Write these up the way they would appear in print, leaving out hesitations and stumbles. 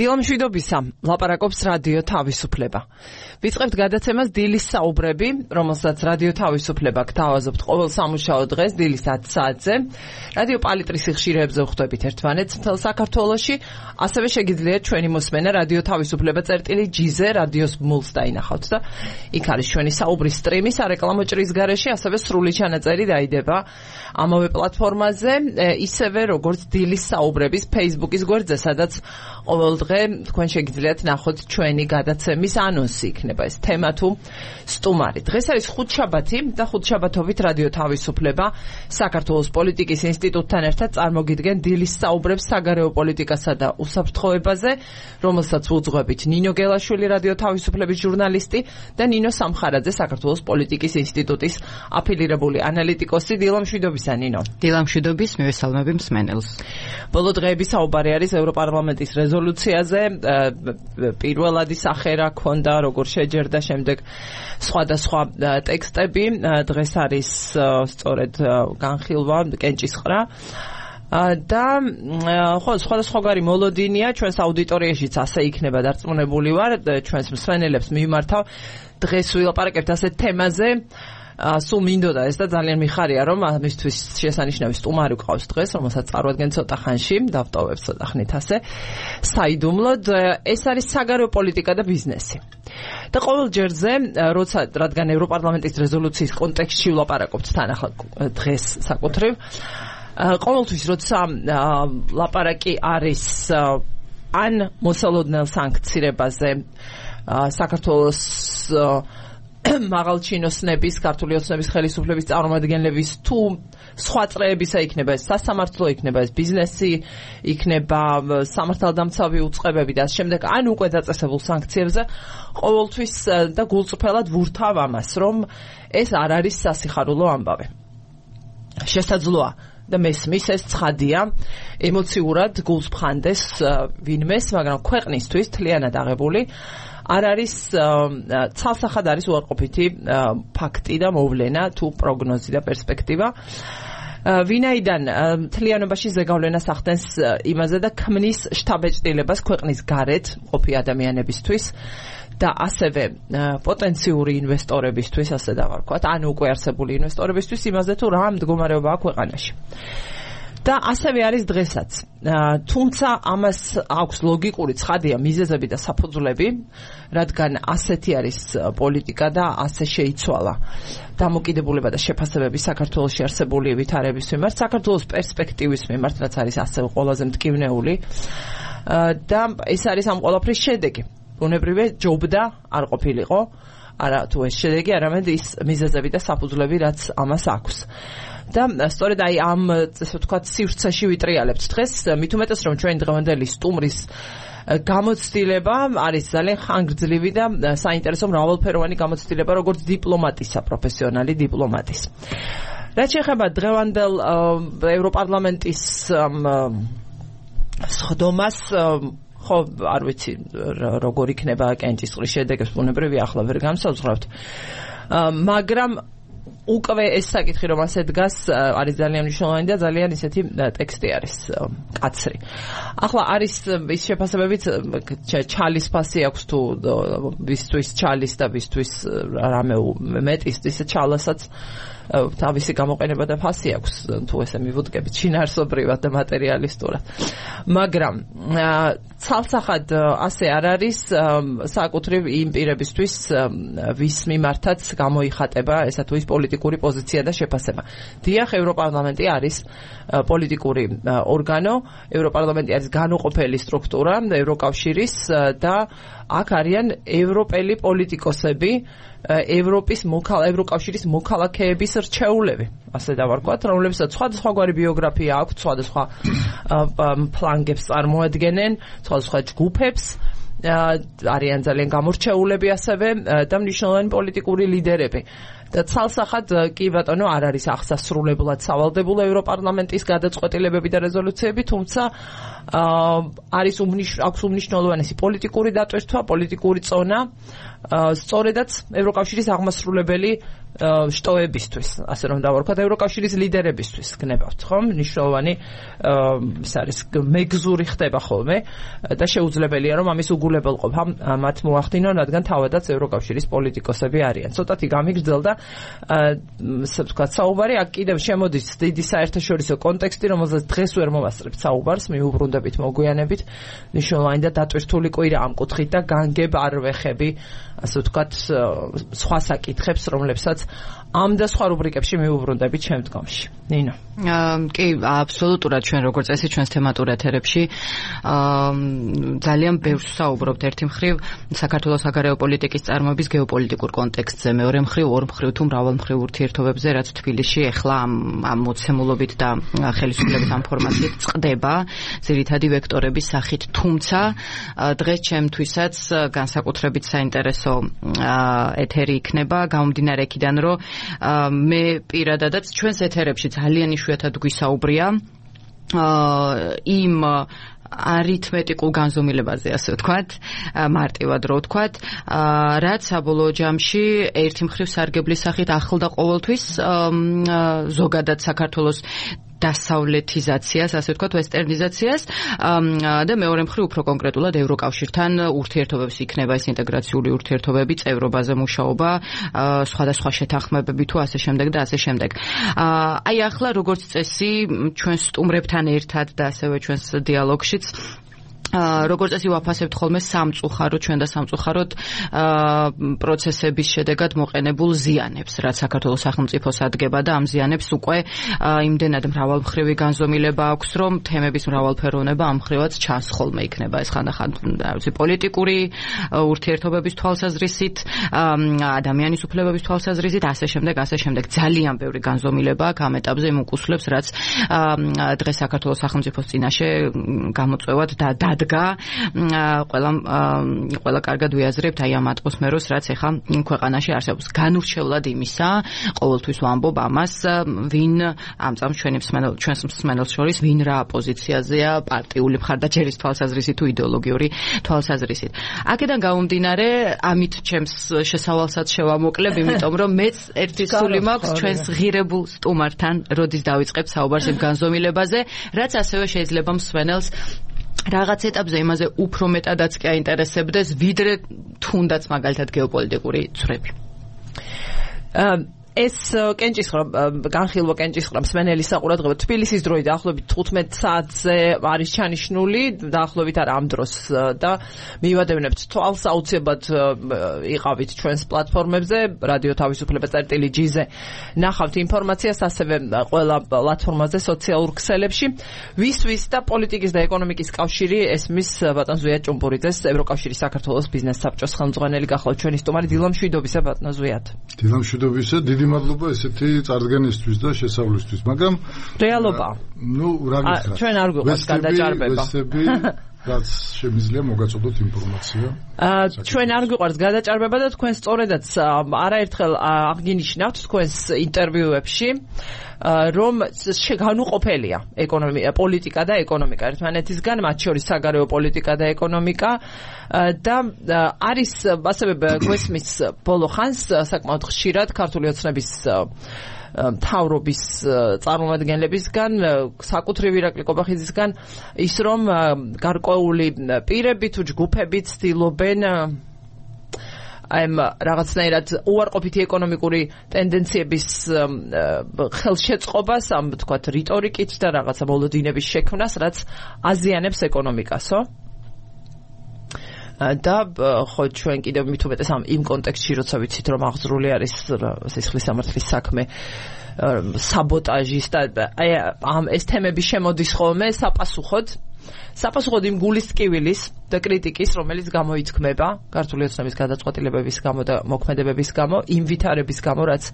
დილამშვიდობისა, ლაპარაკობს რადიო თავისუფლება. ვიწყებთ გადაცემას დილის საუბრები, რომელსაც რადიო თავისუფლება გთავაზობთ ყოველ სამუშაო დღეს დილის 10 საათზე. რადიო პალიტრის ხშირებზე ვხვდებით ერთმანეთს მთელ საქართველოში, ასევე შეგიძლიათ ჩვენი მოსმენა რადიო თავისუფლება წერტილი-G-ზე რადიოს ბმულს დაინახავთ და იქ არის ჩვენი საუბრის სტრიმი სარეკლამო ჭრის გარეშე, ასევე სრული ჩანაწერი დაიდება ამავე პლატფორმაზე, ისევე როგორც დილის საუბრების Facebook-ის გვერდზე, სადაც ყოველ დღე თქვენ შეგიძლიათ ნახოთ ჩვენი გადაცემის ანონსი, იქნება ეს თემა თუ სტუმარი. დღეს არის ხუთშაბათი და ხუთშაბათობით რადიო თავისუფლება საქართველოს პოლიტიკის ინსტიტუტთან ერთად წარმოგიდგენ დილის საუბრებს საგარეო პოლიტიკასა და უსაფრთხოებაზე, რომელსაც უძღვებით ნინო გელაშვილი, რადიო თავისუფლების ჟურნალისტი და ნინო სამხარაძე, საქართველოს პოლიტიკის ინსტიტუტის აფილირებული ანალიტიკოსი. დილამშვიდობისა, ნინო. დილამშვიდობის, მივესალმები მსმენელს. ბოლო დღეების საუბარი არის ევროპარლამენტის რეზოლუციაზე, პირველადი სახე რა ქონდა, როგორ შეჯერდა, შემდეგ სხვადასხვა ტექსტები. დღეს არის სწორედ განხილვა კენჭისყრა და ხო, სხვადასხვაგვარი მოლოდინია ჩვენს აუდიტორიაშიც ასე იქნება დარწმუნებული ვარ, ჩვენს მსმენელებს მიმართავ. დღეს ვილაპარაკებთ ასეთ თემაზე. სულ მინდოდა ეს და ძალიან მიხარია, რომ ამისთვის შესანიშნავი სტუმარი გვყავს დღეს, რომელსაც წარვადგენ ცოტა ხანში, დავტოვებ ცოტა ხნით ასე. საიდუმლოდ ეს არის საგარეო პოლიტიკა და ბიზნესი. და ყოველ ჯერზე, რადგან ევროპარლამენტის რეზოლუციის კონტექსტში ვლაპარაკობთ თან ახლა დღეს საკუთრივ, ყოველთვის როცა ლაპარაკი არის ან მოსალოდნელ სანქცირებაზე საქართველოს მაღალჩინოსნების, ქართული ოცნების ხელისუფლების წარმომადგენლების თუ სხვა წრეებისა, იქნება ეს სასამართლო, იქნება ეს ბიზნესი, იქნება სამართალდამცავი უწყებები და შემდეგ, ან უკვე დაწესებულ სანქციებზე, ყოველთვის და გულწრფელად ვურთავ ამას, რომ ეს არ არის სასიხარულო ამბავი. შესაძლოა და მესმის ეს ცხადია, ემოციურად გულს ფხანდეს ვინმეს, მაგრამ ქვეყნისთვის თლიანად აღებული არ არის ცალსახად არის უარყოფითი ფაქტი და მოვლენა თუ პროგნოზი და პერსპექტივა. ვინაიდან თლიანობაში ზეგავლენას ახდენს იმაზე და ქმნის შთაბეჭდილებას ქვეყნის გარეთ მყოფი ადამიანებისთვის და ასევე პოტენციური ინვესტორებისთვის, ასე დავარქვათ, ან უკვე არსებული ინვესტორებისთვის იმაზე თუ რა მდგომარეობაა ქვეყანაში. და ასევე არის დღესაც. თუმცა ამას აქვს ლოგიკური ცხადია მიზეზები და საფუძვლები, რადგან ასეთი არის პოლიტიკა და ასე შეიცვალა დამოკიდებულება და შეფასებები საქართველოში არსებული ვითარების მიმართ, საქართველოს პერსპექტივის მიმართ, რაც არის ასევე ყველაზე მტკივნეული და ეს არის ამ ყველაფრის შედეგი. ბუნებრივია ჯობდა არ ყოფილიყო, არა თუ ეს შედეგი, არამედ ის მიზეზები და საფუძვლები, რაც ამას აქვს. და სწორედ აი ამ, ესე ვთქვათ, სივრცეში ვიტრიალებთ დღეს, მით უმეტეს რომ ჩვენი დღევანდელი სტუმრის გამოცდილება არის ძალიან ხანგრძლივი და საინტერესო მრავალფეროვანი გამოცდილება, როგორც დიპლომატისა, პროფესიონალი დიპლომატის. რაც შეეხება დღევანდელ ევროპარლამენტის სხდომას, ხო, არ ვიცი როგორ იქნება კენჭისყრის შედეგებს, ბუნებრივია ახლა ვერ განსაზღვრავთ, მაგრამ უკვე ეს საკითხი რომ ასე დგას არის ძალიან მნიშვნელოვანი და ძალიან ისეთი ტექსტი არის კაცრი. ახლა არის ის შეფასებებით ჩალის ფასი აქვს თუ ვისთვის ჩალის და ვისთვის რამე მეტის ისე ჩალასაც თავისი გამოყენება და ფასი აქვს თუ ესე მივუდგებით შინაარსობრივად და მატერიალისტურად. მაგრამ ცალსახად ასე არ არის საკუთრივ იმ პირებისთვის ვის მიმართაც გამოიხატება ესა თუ ის პოლიტიკური პოზიცია და შეფასება. დიახ, ევროპარლამენტი არის პოლიტიკური ორგანო, ევროპარლამენტი არის განუყოფელი სტრუქტურა ევროკავშირის და აქ არიან ევროპელი პოლიტიკოსები, ევროკავშირის მოქალაქეების რჩეულები, ასე დავარქვათ, რომლებსაც სხვადასხვაგვარი ბიოგრაფია აქვთ, სხვადასხვა ფლანგებს წარმოადგენენ, სხვადასხვა ჯგუფებს, არიან ძალიან გამორჩეულები ასევე და მნიშვნელოვანი პოლიტიკური ლიდერები. და ცალსახად კი ბატონო არ არის აღსასრულებლად სავალდებულო ევროპარლამენტის გადაწყვეტილებები და რეზოლუციები, თუმცა აქვს უმნიშვნელოვანესი პოლიტიკური დატვირთვა, პოლიტიკური წონა, სწორედაც ევროკავშირის აღმასრულებელი შტოებისთვის, ასე რომ დავარქვათ, ევროკავშირის ლიდერებისთვის გნებავთ, ხომ? მნიშვნელოვანი ეს არის მეგზური ხდება ხოლმე და შეუძლებელია რომ ამის უგულებელყოფა მათ მოახდინონ, რადგან თავადაც ევროკავშირის პოლიტიკოსები არიან. ცოტათი გამიგრძელდა ასე ვთქვათ საუბარი, აქ კიდევ შემოდის დიდი საერთაშორისო კონტექსტი, რომელზეც დღეს ვერ მოვასწრებთ საუბარს, მიუბრუნდებით, მოგვიანებით, მნიშვნელოვანი და დატვირთული კვირა ამ კუთხით და განგებ არ ვეხები, ასე ვთქვათ, სხვა საკითხებს, რომლებსაც ამ და სხვა რუბრიკებში მიუბრუნდებით შემდგომში. ნინო. კი, აბსოლუტურად ჩვენ როგორც წესი ჩვენს თემატურ ეთერებში ძალიან ბევრს საუბრობთ. ერთი მხრივ საქართველოს საგარეო პოლიტიკის წარმოების გეოპოლიტიკურ კონტექსტზე, მეორე მხრივ ორ მხრივ თუ მრავალმხრივ ურთიერთობებზე, რაც თბილისში ეხლა ამ მოცემულობით და ხელისუფლების ამ ფორმაციით წყდება ძირითადი ვექტორების სახით. თუმცა დღეს ჩემთვისაც განსაკუთრებით საინტერესო ეთერი იქნება გამომდინარე იქიდან, რომ მე პირადადაც ჩვენს ეთერებში ძალიან იშვიათად გვისაუბრია იმ არითმეტიკულ განზომილებაზე, ასე ვთქვათ, მარტივად რო ვთქვათ, რაც საბოლოო ჯამში ერთი მხრივ სარგებლის სახით ახლდა ყოველთვის ზოგადად საქართველოს დასავლეთიზაციას, ასე ვთქვათ, ვესტერნიზაციას და მეორე მხრივ უფრო კონკრეტულად ევროკავშირთან ურთიერთობებს იქნება ეს ინტეგრაციული ურთიერთობები, წევრობაზე მუშაობა, სხვადასხვა შეთანხმებები თუ ასე შემდეგ და ასე შემდეგ. აი ახლა როგორც წესი ჩვენ სტუმრებთან ერთად და ასევე ჩვენს დიალოგშიც როგორც წესი ვაფასებთ ხოლმე სამწუხაროდ ჩვენ და სამწუხაროდ პროცესების შედეგად მოყენებულ ზიანებს, რაც საქართველოს სახელმწიფოს ადგება და ამ ზიანებს უკვე იმდენად მრავალმხრივი განზომილება აქვს, რომ თემების მრავალფეროვნება ამ მხრივაც ჩანს ხოლმე იქნება ეს ხანდახან პოლიტიკური ურთიერთობების თვალსაზრისით, ადამიანის უფლებების თვალსაზრისით, ასე შემდეგ. ძალიან ბევრი განზომილება აქ ამ ეტაპზე იმ უკუსლებს, რაც დღეს საქართველოს სახელმწიფოს წინაშე გამოწვევად და ყველა კარგად ვიაზრებთ აი ამ ატმოსფეროს, რაც ეხა ქვეყანაში არსებობს. განურჩევლად იმისა, ყოველთვის ვამბობ ამას, ვინ ამ წამს ჩვენს მსმენელს შორის ვინ რა პოზიციაზეა, პარტიული მხარდაჭერის თვალსაზრისით თუ იდეოლოგიური თვალსაზრისით. აქედან გამომდინარე, ამით ჩემს შესავალსაც შევამოკლებ, იმიტომ რომ მეც ერთი სული მაქვს ჩვენს ღირებულ სტუმართან, როდის დავიწყებ საუბარს იმ განზომილებაზე, რაც ასევე შეიძლება მსმენელს რაღაც ეტაპზე იმაზე უფრო მეტადაც კი აინტერესებდეს, ვიდრე თუნდაც მაგალითად გეოპოლიტიკური ცვლები. ეს განხილვა კენჭისყრა მსმენელის საყურადღებო თბილისის დროით დაახლოებით 15 საათზე არის ჩანიშნული, დაახლოებით არ ამ დროს და მივადევნებთ თვალს, აუცილებლად იყავით ჩვენს პლატფორმებზე, რადიო თავისუფლება წერტილი.gz-ზე ნახავთ ინფორმაციას, ასევე ყველა პლატფორმაზე, სოციალურ ქსელებში. ვის და პოლიტიკის და ეკონომიკის კავშირი ესმის ბატონ ზვიად ჭუმპურიძეს, ევროკავშირის საქართველოს ბიზნეს საბჭოს ხელმძღვანელი, გახლავთ ჩვენი სტუმარი. დილამშვიდობისა ბატონო ზვიად. დილამშვიდობისა, დიდი მადლობა ესეთი წარდგენისთვის და შესავლისთვის, მაგრამ რეალობა. რა გითხრათ? ჩვენ არ გვიყვარს გადაჭარბება. რაც შემიძლია მოგაწოდოთ ინფორმაცია. ჩვენ არ გვიყვარს გადაჭარბება და თქვენ სწორედაც არაერთხელ აღგინიშნავთ თქვენს ინტერვიუებში, რომ განუყოფელია პოლიტიკა და ეკონომიკა ერთმანეთისგან, მათ შორის საგარეო პოლიტიკა და ეკონომიკა და არის ასევე გვესმის ბოლო ხანს საკმაოდ ხშირად ქართული ოცნების მთავრობის წარმომადგენლებისგან, საკუთრივ ირაკლი კობახიძისგან ის რომ გარკვეული პირები თუ ჯგუფები ცდილობენ რაღაცნაირად უარყოფითი ეკონომიკური ტენდენციების ხელშეწყობას, ამ თქვათ რიტორიკით და რაღაცა მოლოდინების შექმნას, რაც აზიანებს ეკონომიკასო. და ხო ჩვენ კიდევ მით უმეტეს იმ კონტექსტში, როცა ვიცით რომ აღძრული არის სისხლის სამართლის საქმე, საბოტაჟის და ეს თემები შემოდის ხოლმე საპასუხოდ იმ გულისწყვილის და კრიტიკის, რომელიც გამოითქმება ქართული ოცნების გადაწყვეტილებების გამო და მოქმედებების გამო, იმ ვითარების გამო, რაც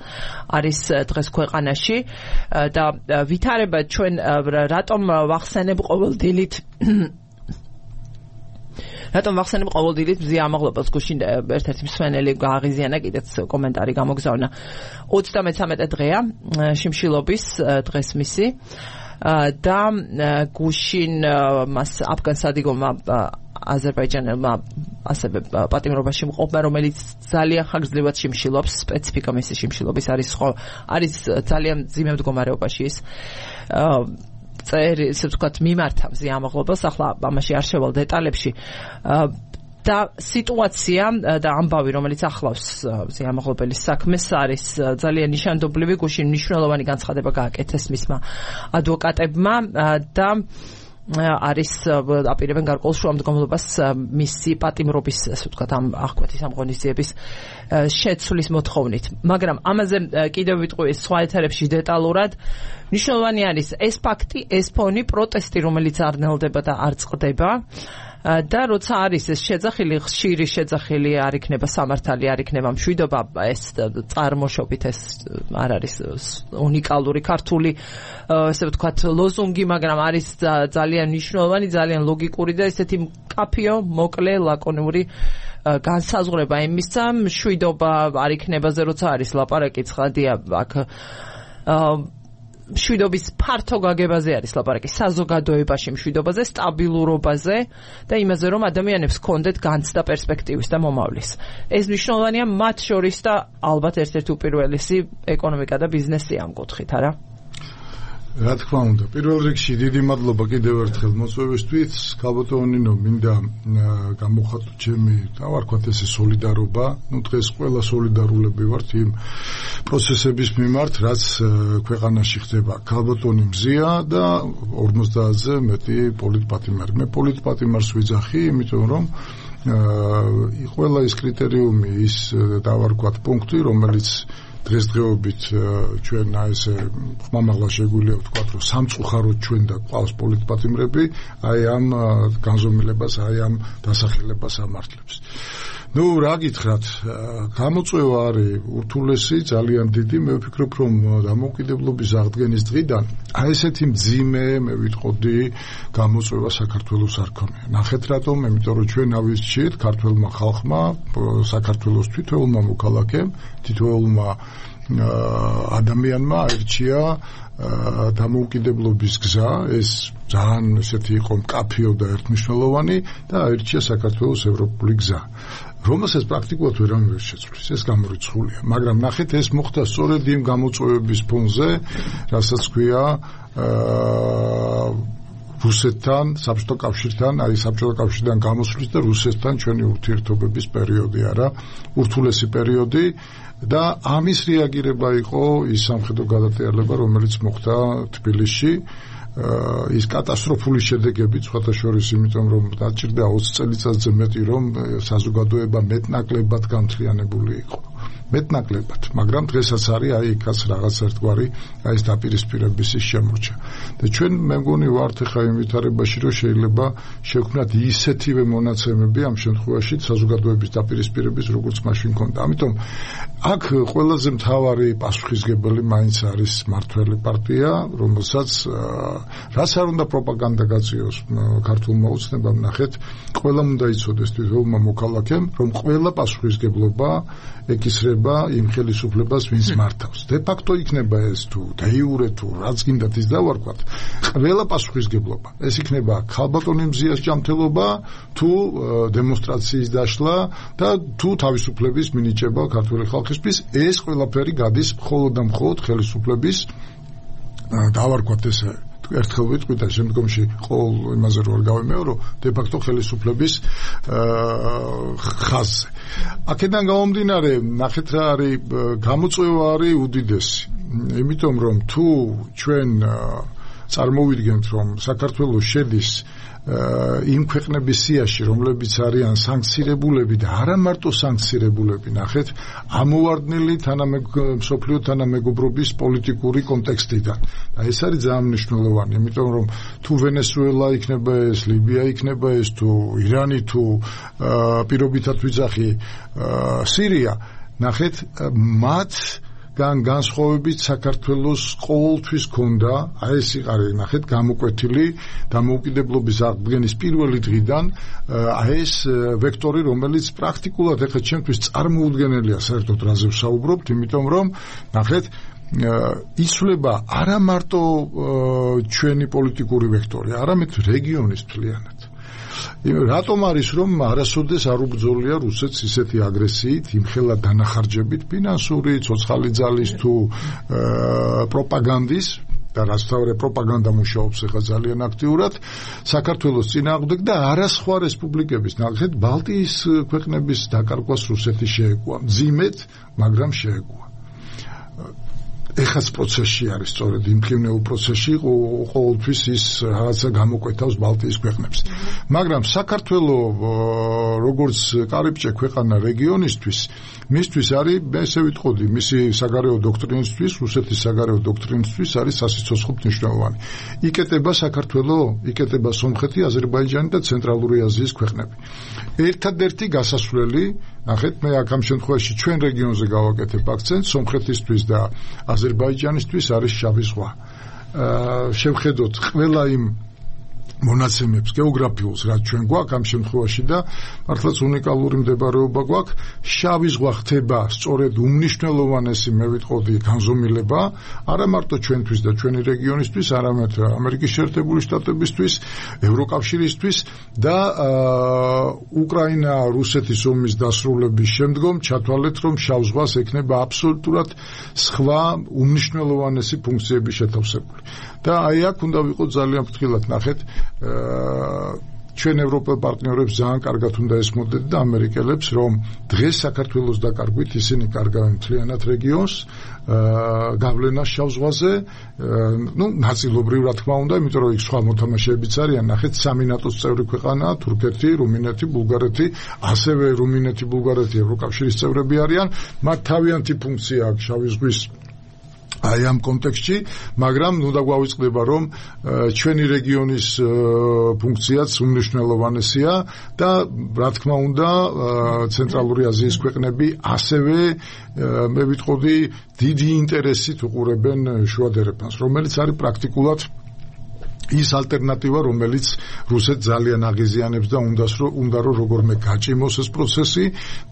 არის დღეს ქვეყანაში და ვითარება ჩვენ რატომ ვახსენებ ყოველ დილით რატომ ვახსენებ ყოველდღიურად მზია ამაღლებას გუშინ ერთ-ერთი მსმენელი გააღიზიანა კიდეც კომენტარი გამოგზავნა 33 დღეა შიმშილობის დღეს მისი და გუშინ მას აფგან სადიგომა აზერბაიჯანელმა ასევე პატიმრობაში მყოფმა რომელიც ძალიან ხანგრძლივად შიმშილობს სპეციფიკა მისი შიმშილობის არის ძალიან ძიმე მდგომარეობაში ის ისე ვთქვათ მიმართა მზია ამაღლებას ახლა ამაში არ შევალ დეტალებში და სიტუაცია და ამბავი რომელიც ახლავს მზია ამაღლობელის საქმეს არის ძალიან ნიშანდობლივი გუშინ მნიშვნელოვანი განცხადება გააკეთეს მისმა ადვოკატებმა და არის აპირებენ გარკვეულ შუამდგომლობას მისი პატიმრობის ასე ვთქვათ ამ აღკვეთის ამ ღონისძიების შეცვლის მოთხოვნით მაგრამ ამაზე კიდევ ვიტყვი სხვა ეთერებში დეტალურად მნიშვნელოვანი არის ეს ფაქტი ეს ფონი პროტესტი რომელიც არ ნელდება და არ წყდება და როცა არის ეს შეძახილი ხშირი შეძახილი არ იქნება სამართალი არ იქნება მშვიდობა ეს წარმოშობით ეს არ არის უნიკალური ქართული ასე ვთქვათ ლოზუნგი მაგრამ არის ძალიან მნიშვნელოვანი ძალიან ლოგიკური და ესეთი მკაფიო მოკლე ლაკონური განსაზღვრება იმისა მშვიდობა არ იქნებაზე როცა არის ლაპარაკი ცხადია აქ მშვიდობის ფართო გაგებაზე არის ლაპარაკი საზოგადოებაში მშვიდობაზე სტაბილურობაზე და იმაზე რომ ადამიანებს ჰქონდეთ განცდა პერსპექტივის და მომავლის ეს მნიშვნელოვანია მათ შორის და ალბათ ერთ-ერთი უპირველესი ეკონომიკა და ბიზნესი ამ კუთხით არა რა თქმა უნდა პირველ რიგში დიდი მადლობა კიდევ ერთხელ მოწვევისთვის ქალბატონინო მინდა გამოხატო ჩემი დავარქვათ ესე სოლიდარობა ну დღეს ყველა სოლიდარულები ვართ იმ პროცესების მიმართ რაც ქვეყანაში ხდება ქალბატონი მზია და 50-ზე მეტი პოლიტპატიმარი მე პოლიტპატიმარს ვიძახი იმიტომ რომ ყველა ის კრიტერიუმი ის დავარქვათ პუნქტი რომელიც დღესდღეობით ჩვენ ესე ხმამაღლა შეგვიძლია ვთქვათ რომ სამწუხაროდ ჩვენ და ყავს პოლიტპატიმრები აი ამ განზომილებას აი ამ დასახელებას ამართლებს ну რა გითხრათ გამოწვევა არის ურთულესი ძალიან დიდი მე ვფიქრობ რომ დამოუკიდებლობის აღდგენის დღიდან აი ესეთი მძიმე მე ვიტყოდი გამოწვევა საქართველოს არ ქონია ნახეთ რატომ იმიტომ რომ ჩვენ ავისჩიეთ ქართველმა ხალხმა საქართველოს თითოეულმა მოქალაქემ თითოეულმა ადამიანმა აირჩია დამოუკიდებლობის გზა ეს ძალიან ესეთი იყო მკაფიო და ერთმნიშვნელოვანი და აირჩია საქართველოს ევროპული გზა რომელსაც პრაქტიკულად ვერავინ ვერ შეცვლის ეს გამორიცხულია მაგრამ ნახეთ ეს მოხდა სწორედ იმ გამოწვევების ფონზე რასაც ქვია რუსეთთან საბჭოთა კავშირთან აი საბჭოთა კავშირიდან გამოსვლის და რუსეთთან ჩვენი ურთიერთობების პერიოდი არა ურთულესი პერიოდი და ამის რეაგირება იყო ის სამხედრო გადატრიალება რომელიც მოხდა თბილისში ის კატასტროფული შედეგები სხვათა შორის იმიტომ რომ დაჭირდა 20 წელიწადზე მეტი რომ საზოგადოება მეტნაკლებად განთლიანებული იყო მეტნაკლებად მაგრამ დღესაც არის აი იქაც რაღაც ერთგვარი აი ეს დაპირისპირების შემორჩა და ჩვენ მე მგონი ვართ ხა იმ ვითარებაში რომ შეიძლება შექმნათ ისეთივე მონაცემები ამ შემთხვევაში საზოგადოების დაპირისპირების როგორც მაშინ ქონდა ამიტომ აქ ყველაზე მთავარი პასუხისგებელი მაინც არის მართველი პარტია რომელსაც რაც არ უნდა პროპაგანდა გაწიოს ქართულმა ოცნებამ ნახეთ ყველა უნდა იცოდეს თითოეულმა მოქალაქემ რომ ყველა პასუხისგებლობა ეკისრება იმ ხელისუფლებას ვინც მართავს de facto იქნება ეს თუ de jure თუ რაც გინდათ ის დავარქვათ ყველა პასუხისგებლობა ეს იქნება ქალბატონი მზიას ჯანმრთელობა თუ დემონსტრაციის დაშლა და თუ თავისუფლების მინიჭება ქართული ხალხისთვის ეს ყველაფერი გადის მხოლოდ და მხოლოდ ხელისუფლების დავარქვათ ესე ერთხელ ვიტყვი და შემდგომში ყოველ იმაზე რო არ გავიმეორო de facto ხელისუფლების ხაზზე აქედან გამომდინარე ნახეთ რა არის გამოწვევა არის უდიდესი იმიტომ რომ თუ ჩვენ წარმოვიდგენთ რომ საქართველოს შედის იმ ქვეყნების სიაში რომლებიც არიან სანქცირებულები და არა მარტო სანქცირებულები ნახეთ ამოვარდნილი მსოფლიო თანამეგობრობის პოლიტიკური კონტექსტიდან და ეს არის ძალიან მნიშვნელოვანი იმიტომ რომ თუ ვენესუელა იქნება ეს ლიბია იქნება ეს თუ ირანი თუ პირობითად ვიძახი სირია ნახეთ მათ განსხვავებით საქართველოს ყოველთვის ჰქონდა, აი ეს იყარე ნახეთ გამოკვეთილი დამოუკიდებლობის აღდგენის პირველი დღიდან აი ეს ვექტორი, რომელიც პრაქტიკულად ახლა ჩემთვის წარმოუდგენელია საერთოდ რაზე ვსაუბრობთ, იმიტომ რომ ნახეთ იცვლება არა მარტო ჩვენი პოლიტიკური ვექტორი, არამედ რეგიონის მთლიანად. რატომ არის რომ არასოდეს არ უბრძოლია რუსეთს ისეთი აგრესიით, იმხელა დანახარჯებით, ფინანსური, ცოცხალი ძალის თუ პროპაგანდის და რასთავრე პროპაგანდა მუშაობს ახლა ძალიან აქტიურად საქართველოს წინააღმდეგ და არა სხვა რესპუბლიკების ნახეთ ბალტიის ქვეყნების დაკარგვას რუსეთი შეეგუა. მძიმედ, მაგრამ შეეგუა. ეხაც პროცესში არის სწორედ იმქნეულ პროცესში ყოველთვის ის რაღაცა გამოკვეთავს ბალტიის ქვეყნებს. მაგრამ საქართველო როგორც კარიბჭე ქვეყანა რეგიონისთვის, მისთვის არის, მე ესე ვიტყოდი, მისი საგარეო დოქტრინისთვის, რუსეთის საგარეო დოქტრინისთვის არის სასიცოცხლო მნიშვნელოვანი. იკეტება საქართველო, იკეტება სომხეთი, აზერბაიჯანი და ცენტრალური აზიის ქვეყნები. ერთადერთი გასასვლელი, ნახეთ, მე აქ ამ შემთხვევაში ჩვენ რეგიონზე გავაკეთებ აქცენტს, სომხეთისთვის და აზერბაიჯანისთვის არის შავი ზღვა. შევხედოთ ყველა იმ მონაცემებს გეოგრაფიულს, რაც ჩვენ გვაქვს ამ შემთხვევაში და მართლაც უნიკალური მდებარეობა გვაქვს. შავი ზღვა ხდება სწორედ უმნიშვნელოვანესი, მე ვიტყოდი, განზომილება, არა მარტო ჩვენთვის და ჩვენი რეგიონისთვის, არამედ ამერიკის შეერთებული შტატებისთვის, ევროკავშირისთვის და უკრაინა-რუსეთის ომის დასრულების შემდგომ ჩათვალეთ, რომ შავ ზღვას ექნება აბსოლუტურად სხვა უმნიშვნელოვანესი ფუნქციები შეთავსებული. და აი აქ უნდა ვიყოთ ძალიან ფრთხილად, ნახეთ, ჩვენ ევროპელ პარტნიორებს ძალიან კარგად უნდა ესმოდეთ და ამერიკელებს, რომ დღეს საქართველოს დაკარგვით ისინი კარგავენ მთლიანად რეგიონს, გავლენას შავ ზღვაზე, ნაწილობრივ რა თქმა უნდა, იმიტომ რომ იქ სხვა მოთამაშეებიც არიან, ნახეთ, სამი ნატოს წევრი ქვეყანაა, თურქეთი, რუმინეთი, ბულგარეთი, ასევე რუმინეთი, ბულგარეთი ევროკავშირის წევრები არიან, მათ თავიანთი ფუნქცია აქვს შავი ზღვის აი ამ კონტექსტში, მაგრამ ნუ დაგვავიწყდება, რომ ჩვენი რეგიონის ფუნქციაც უმნიშვნელოვანესია და რა თქმა უნდა, ცენტრალური აზიის ქვეყნები ასევე მე ვიტყოდი დიდი ინტერესით უყურებენ შუადერეფანს, რომელიც არის პრაქტიკულად ის ალტერნატივა, რომელიც რუსეთს ძალიან აღიზიანებს და უნდა რომ როგორმე გაჭიმოს ეს პროცესი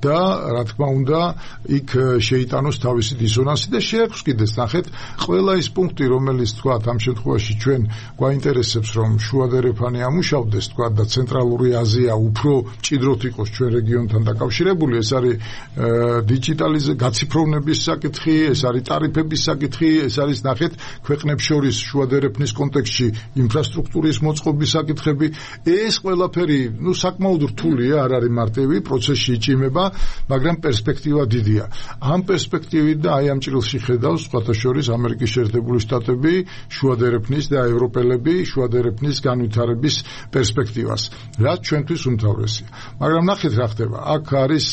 და რა თქმა უნდა იქ შეიტანოს თავისი დისონანსი და შეაქვს კიდეც ნახეთ ყველა ის პუნქტი, რომელიც თქვა ამ შემთხვევაში ჩვენ გვაინტერესებს, რომ შუადერეფანი ამუშავდეს თქვა და ცენტრალური აზია უფრო მჭიდროდ იყოს ჩვენ რეგიონთან დაკავშირებული, ეს არის დიჯიტალიზაცია, გაციფროვნების საკითხი, ეს არის ტარიფების საკითხი, ეს არის ნახეთ ქვეყნებს შორის შუადერეფნის კონტექსტში ინფრასტრუქტურის მოწყობის საკითხები, ეს ყველაფერი, საკმაოდ რთულია, არ არის მარტივი, პროცესში იჭიმება, მაგრამ პერსპექტივა დიდია. ამ პერსპექტივით და აი ამ ჭრილში ხედავს სხვათა შორის ამერიკის შეერთებული შტატები, შუადერეფნის და ევროპელები შუადერეფნის განვითარების პერსპექტივას, რაც ჩვენთვის უმთავრესია. მაგრამ ნახეთ რა ხდება. აქ არის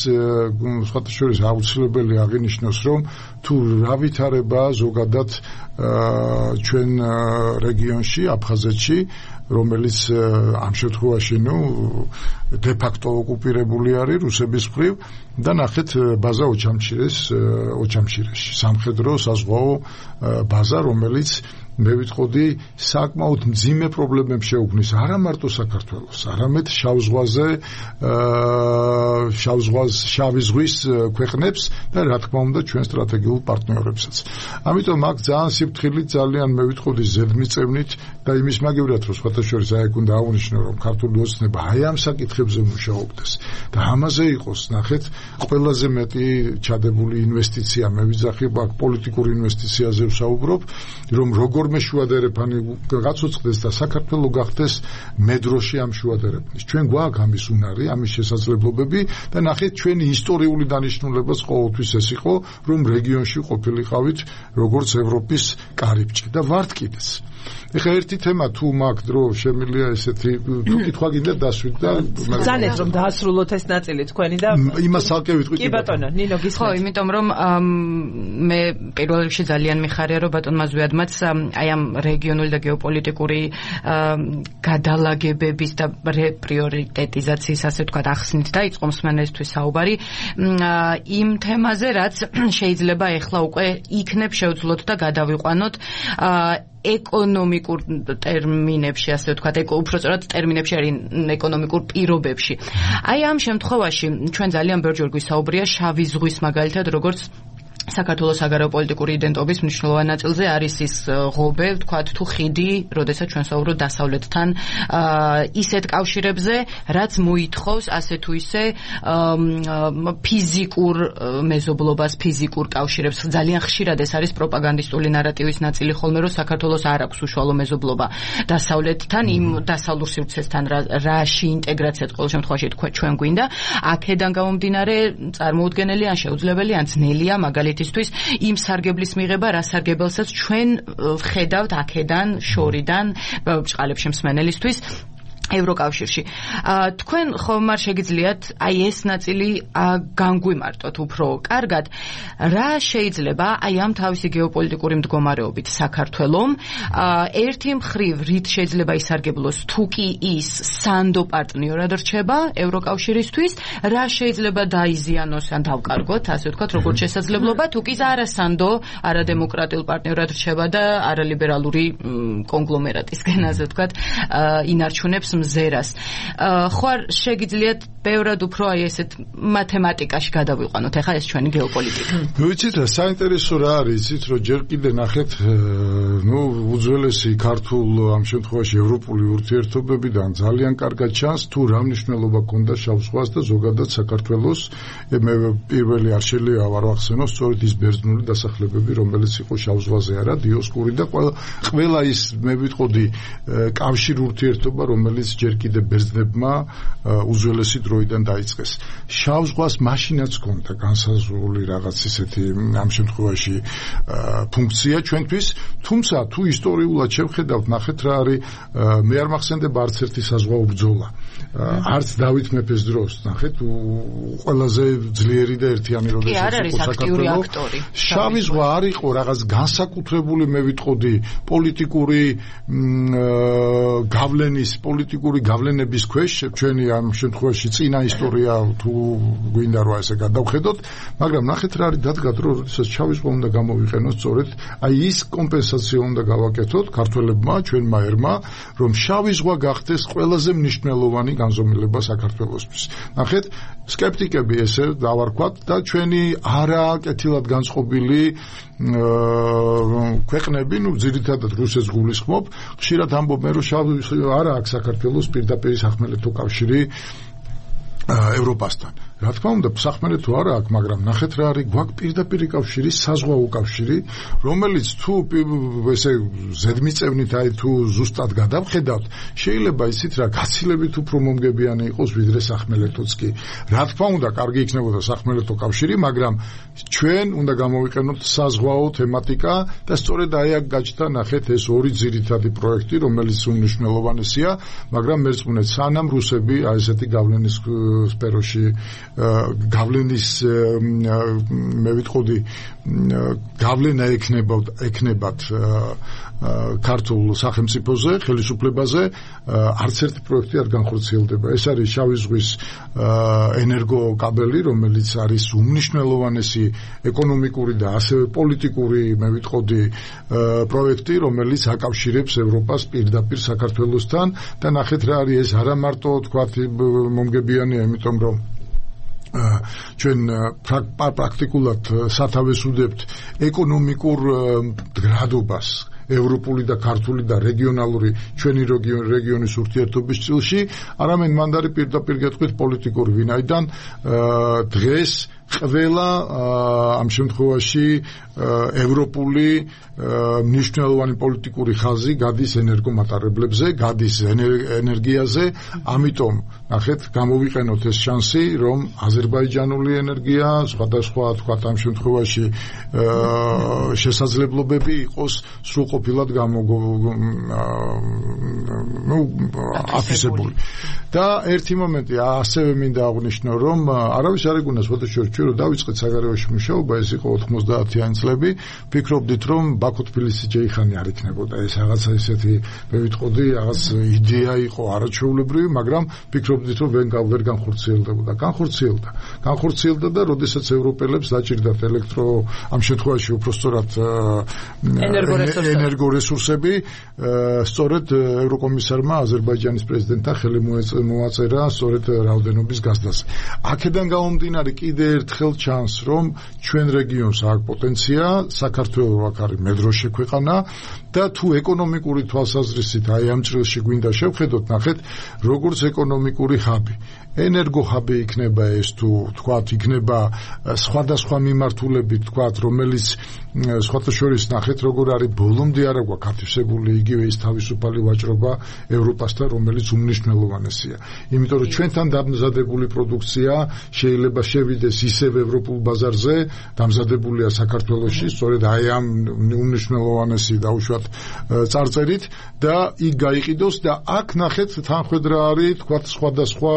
სხვათა შორის აუცილებელი აღინიშნოს, რომ თუ რა ვითარებაა ზოგადად ჩვენ რეგიონში, აფხაზეთში, რომელიც ამ შემთხვევაში დე-ფაქტო ოკუპირებული არის რუსების მხრივ და ნახეთ ბაზა ოჩამჩირეში, სამხედრო საზღვაო ბაზა, რომელიც მე ვიტყოდი საკმაოდ მძიმე პრობლემებს შეუქმნის არა მარტო საქართველოს, არამედ შავი ზღვის ქვეყნებს და რა თქმა უნდა ჩვენ სტრატეგიულ პარტნიორებსაც. ამიტომ აქ ძალიან სიფრთხილით, ძალიან მე ვიტყოდი ზედმიწევნით და იმის მაგივრად, რომ სხვათა შორის აი უნდა აღნიშნო, რომ ქართული ოცნება აი ამ საკითხებზე მუშაობდეს და ამაზე იყოს, ნახეთ, ყველაზე მეტი ჩადებული ინვესტიცია, მე ვიძახებ აქ პოლიტიკური ინვესტიციაზე ვსაუბრობ, რომ როგორმე შუადერეფანი გაცოცხლდეს და საქართველო გახდეს მედროში ამ შუადერეფნის. ჩვენ გვაქვს ამის უნარი, ამის შესაძლებლობები და ნახეთ ჩვენი ისტორიული დანიშნულებაც ყოველთვის ეს იყო, რომ რეგიონში ყოფილიყავით როგორც ევროპის კარიბჭე და ვართ კიდეც. ეხლა ერთი თემა თუ მაგ დრო შემილია ესეთი თუ კითხვა გინდა დასვით და ზანეთ რომ დაასრულოთ ეს ნაწილი თქვენი და იმას ალკე ვიტყვი კი ბატონო ნინო გისმენთ ხო იმიტომ რომ მე პირველ რიგში ძალიან მიხარია რომ ბატონმა ზვიადმაც აი ამ რეგიონული და გეოპოლიტიკური გადალაგებების და პრიორიტეტიზაციის ასე ვთქვათ ახსნით და იწყო მსმენელისთვის საუბარი იმ თემაზე რაც შეიძლება ეხლა უკვე იქნებ შევძლოთ და გადავიყვანოთ ეკონომიკურ ტერმინებში, ასე ვთქვათ, უпростоრად ტერმინებში არის ეკონომიკურ პირობებში. აი ამ შემთხვევაში ჩვენ ძალიან ბევრჯერ გვისაუბრია შავი ზღვის მაგალითად, როგორც საქართველოს საგარეოპოლიტიკური იდენტობის მნიშვნელოვან ნაწილზე არის ის ღობე, ვთქვათ, თუ ხიდი, როდესაც ჩვენ საუბრობთ დასავლეთთან ისეთ კავშირებზე, რაც მოითხოვს ასე თუ ისე ფიზიკურ მეზობლობას, ფიზიკურ კავშირებს. ძალიან ხშირად ეს არის პროპაგანდისტული ნარატივის ნაწილი ხოლმე, რომ საქართველოს არ აქვს უშუალო მეზობლობა დასავლეთთან, იმ დასავლურ სივრცესთან, რაში ინტეგრაციაც ყოველ შემთხვევაში ჩვენ გვინდა. აქედან გამომდინარე, წარმოუდგენელი ან შეუძლებელი ან ძნელია მაგალითად ისთვის იმ სარგებლის მიღება, რა სარგებელსაც ჩვენ ვხედავთ აქედან, შორიდან, ბჭყალებში მსმენელისთვის ევროკავშირში. თქვენ ხომ არ შეგიძლიათ აი ეს ნაწილი განგვიმარტოთ უფრო კარგად, რა შეიძლება აი ამ თავისი გეოპოლიტიკური მდგომარეობით საქართველომ ერთი მხრივ რით შეიძლება ისარგებლოს თუ კი ის სანდო პარტნიორად რჩება ევროკავშირისთვის, რა შეიძლება დაიზიანოს ან დავკარგოთ, ასე ვთქვათ, როგორც შესაძლებლობა, თუ კი არასანდო, არადემოკრატიულ პარტნიორად რჩება და არალიბერალური კონგლომერატისგან, ასე ვთქვათ, ინარჩუნებს მზერას. ხო არ შეგიძლიათ ბევრად უფრო აი ესეთ მათემატიკაში გადავიყვანოთ ახლა ეს ჩვენი გეოპოლიტიკა. ვიცით რა საინტერესო რა არის, იცით რომ ჯერ კიდე ნახეთ უძველესი ქართულ ამ შემთხვევაში ევროპული ურთიერთობებიდან ძალიან კარგად ჩანს თუ რა მნიშვნელობა ჰქონდა შავ ზღვას და ზოგადად საქართველოს მე პირველი არ შეიძლება ვარ ვახსენო სწორედ ის ბერძნული დასახლებები რომელიც იყო შავ ზღვაზე არა დიოსკური და ყველა ის მე ვიტყოდი კავშირ ურთიერთობა რომელიც ჯერ კიდე ბერძნებმა უძველესი დროიდან დაიწყეს. შავ ზღვას მაშინაც ჰქონდა განსაზღვრული რაღაც ისეთი ამ შემთხვევაში ფუნქცია ჩვენთვის, თუმცა თუ ისტორიულად შევხედავთ, ნახეთ რა არის, მე არ მახსენდება არც ერთი საზღვაო ბრძოლა. არც დავით მეფეს დროს, ნახეთ, ყველაზე ძლიერი და ერთიანი როდესაც იყო საქართველოს. შავი ზღვა არ იყო რაღაც განსაკუთრებული, მე ვიტყოდი, პოლიტიკური გავლენების ქვეშ, ჩვენი ამ შემთხვევაში წინა ისტორია თუ გვინდა რომ ესე გადავხედოთ, მაგრამ ნახეთ რა არის დადგა დრო, როდესაც შავი ზღვა უნდა გამოვიყენოს სწორედ აი ის კომპენსაცია უნდა გავაკეთოთ ქართველებმა, ჩვენმა ერმა, რომ შავი ზღვა გახდეს ყველაზე მნიშვნელოვანი განზომილება საქართველოსთვის. ნახეთ, სკეპტიკები ესე დავარქვათ და ჩვენი არაკეთილად განწყობილი ქვეყნები, ძირითადად რუსეთს გულისხმობ, ხშირად ამბობენ, რომ შავი არა აქვს საქართველოს პირდაპირ სახმელეთო კავშირი ევროპასთან. რა თქმა უნდა, სახმელეთო არა აქვს, მაგრამ ნახეთ რა არის, გვაქვს პირდაპირი კავშირი, საზღვაო კავშირი, რომელიც თუ ესე ზედმიწევნით აი თუ ზუსტად გადავხედავთ, შეიძლება ისიც რა გაცილებით უფრო მომგებიანი იყოს ვიდრე სახმელეთოც კი. რა თქმა უნდა, კარგი იქნებოდა სახმელეთო კავშირი, მაგრამ ჩვენ უნდა გამოვიყენოთ საზღვაო თემატიკა და სწორედ აი აქ გაჩნდა ნახეთ ეს ორი ძირითადი პროექტი, რომელიც უმნიშვნელოვანესია, მაგრამ მერწმუნეთ სანამ რუსები აი ესეთი გავლენის სფეროში გავლენის მე ვიტყოდი გავლენა ეკნებათ ქართულ სახელმწიფოზე, ხელისუფლებაზე არც ერთი პროექტი არ განხორციელდება. ეს არის შავი ზღვის ენერგოკაბელი, რომელიც არის უმნიშვნელოვანესი ეკონომიკური და ასევე პოლიტიკური, მე ვიტყოდი, პროექტი, რომელიც აკავშირებს ევროპას პირდაპირ საქართველოსთან და ნახეთ რა არის ეს არა მარტო თქვათ მომგებიანია, იმიტომ რომ ჩვენ პრაქტიკულად სათავეს ვუდებთ ეკონომიკურ მდგრადობას ევროპული და ქართული და რეგიონალური ჩვენი რეგიონის ურთიერთობის წილში, არამედ მანდ არის პირდაპირ გეტყვით პოლიტიკური, ვინაიდან დღეს ყველა ამ შემთხვევაში ევროპული მნიშვნელოვანი პოლიტიკური ხაზი გადის ენერგომატარებლებზე, გადის ენერგიაზე, ამიტომ ნახეთ, გამოვიყენოთ ეს შანსი, რომ აზერბაიჯანული ენერგია, სხვადასხვა თქვა ამ შემთხვევაში შესაძლებლობები იყოს სრულყოფილად აფისებული. და ერთი მომენტი ასევე მინდა აღვნიშნო, რომ არავის არ ეგონას ფოტოშოპში ჩვენ რო დავიწყეთ საგარეოში მუშაობა, ეს იყო 90-იანი წლები, ფიქრობდით, რომ ბაქო-თბილისი ჯეიხანი არ იქნებოდა, ეს რაღაცა ისეთი მე ვიტყოდი, რაღაც იდეა იყო არაჩვეულებრივი, მაგრამ ფიქრობდით, რომ ვერ განხორციელდებოდა. განხორციელდა და როდესაც ევროპელებს დაჭირდათ ამ შემთხვევაში უпростоრად ენერგორესურსები, სწორედ ევროკომისარმა აზერბაიჯანის პრეზიდენტთან ხელი მოაწერა სწორედ რაოდენობის გაზდაზე. აქედან გამომდინარე კიდე ერთხელ ჩანს, რომ ჩვენ რეგიონს აქვს პოტენცია, საქართველოს აქ არის მედროშე ქვეყანა და თუ ეკონომიკური თვალსაზრისით აი ამ ჭრილში გვინდა შევხედოთ, ნახეთ, როგორც ეკონომიკური ჰაბი. ენერგოჰაბი იქნება ეს თუ თქვათ იქნება სხვადასხვა მიმართულებით თქვათ რომელიც სხვათა შორის ნახეთ როგორ არის ბოლომდე არა გვაქვს ათვისებული იგივე ის თავისუფალი ვაჭრობა ევროპასთან რომელიც უმნიშვნელოვანესია იმიტომ რომ ჩვენთან დამზადებული პროდუქცია შეიძლება შევიდეს ისევ ევროპულ ბაზარზე დამზადებულია საქართველოში სწორედ აი ამ უმნიშვნელოვანესი დაუშვათ წარწერით და იქ გაიყიდოს და აქ ნახეთ თანხwebdriver არის თქვათ სხვადასხვა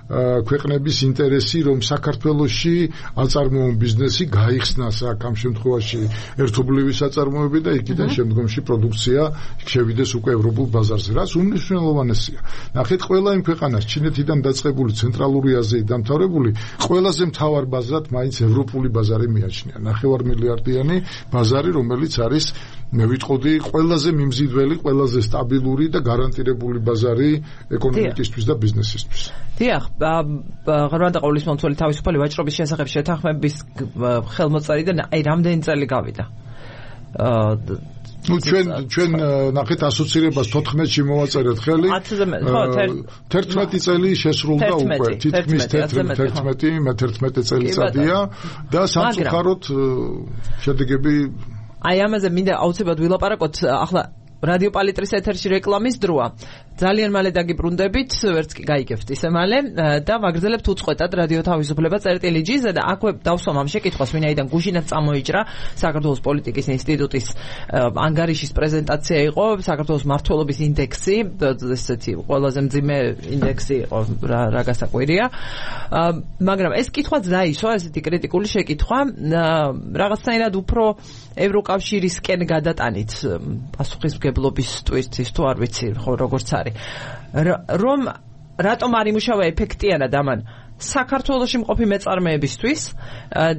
ქვეყნების ინტერესი რომ საქართველოში აწარმოო ბიზნესი გაიხსნას აქ ამ შემთხვევაში ერთობლივი საწარმოები და იქიდან შემდგომში პროდუქცია შევიდეს უკვე ევროპულ ბაზარზე რაც უმნიშვნელოვანესია ნახეთ ყველა იმ ქვეყანას ჩინეთიდან დაწყებული ცენტრალური აზიით დამთავრებული ყველაზე მთავარ ბაზრად მაინც ევროპული ბაზარი მიაჩნია 9 მილიარდიანი ბაზარი რომელიც არის მე ვიტყოდი ყველაზე მიმზიდველი ყველაზე სტაბილური და გარანტირებული ბაზარი ეკონომიკისთვის და ბიზნესისთვის დიახ, ღრმად აყოლის მომცველი თავისუფალი ვაჭრობის შესახებ შეთანხმების ხელმოწერიდან აი რამდენი წელი გავიდა. ნუ ჩვენ ნახეთ ასოცირებას 14-ში მოვაწერეთ ხელი. 11 წელი შესრულდა უკვე. თითქმის 11 წელიწადია და სამწუხაროდ შედეგები აი ამაზე მინდა აუცილებლად ვილაპარაკოთ ახლა რადიო პალიტრის ეთერში რეკლამის დროა. ძალიან მალე დაგიბრუნდებით, ვერც კი გაიგებთ ისე მალე და ვაგრძელებთ უწყვეტად რადიო თავისუფლება წერტილი-ჯ-ზე და აქვე დავსვამ ამ შეკითხვას, ვინაიდან გუშინაც წამოიჭრა საქართველოს პოლიტიკის ინსტიტუტის ანგარიშის პრეზენტაცია იყო, საქართველოს მმართველობის ინდექსი, ესეთი ყველაზე მძიმე ინდექსი იყო, რა გასაკვირია. მაგრამ ეს კითხვაც დაისვა, ესეთი კრიტიკული შეკითხვა, რაღაცნაირად უფრო ევროკავშირისკენ გადატანით პასუხისმგებლობის ტვირთის თუ არ ვიცი, ხო როგორც არის. რომ რატომ არ იმუშავა ეფექტიანად ამან საქართველოში მყოფი მეწარმეებისთვის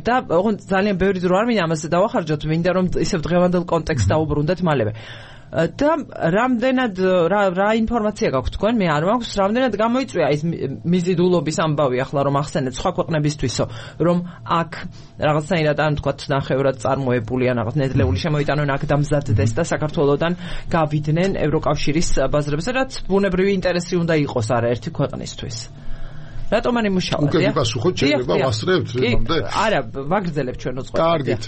და ოღონდ ძალიან ბევრი დრო არ მინდა ამაზე დავახარჯოთ, მინდა რომ ისევ დღევანდელ კონტექსტს დაუბრუნდეთ მალევე. და რამდენად რა ინფორმაცია გაქვთ თქვენ? მე არ მაქვს, რამდენად გამოიწვია ის მიზიდულობის ამბავი ახლა რომ ახსენეთ სხვა ქვეყნებისთვისო, რომ აქ რაღაცნაირად ან თქვათ ნახევრად წარმოებული ან რაღაც ნედლეული შემოიტანონ აქ დამზადდეს და საქართველოსთან გავიდნენ ევროკავშირის ბაზრებზე, რაც ბუნებრივი ინტერესი უნდა იყოს არაერთი ქვეყნისთვის. რატომ არ იმუშავა? უკვე გიპასუხოთ, შეიძლება ვასწრებთ იმამდე? არა, ვაგრძელებთ ჩვენ უწყობთ. კარგით,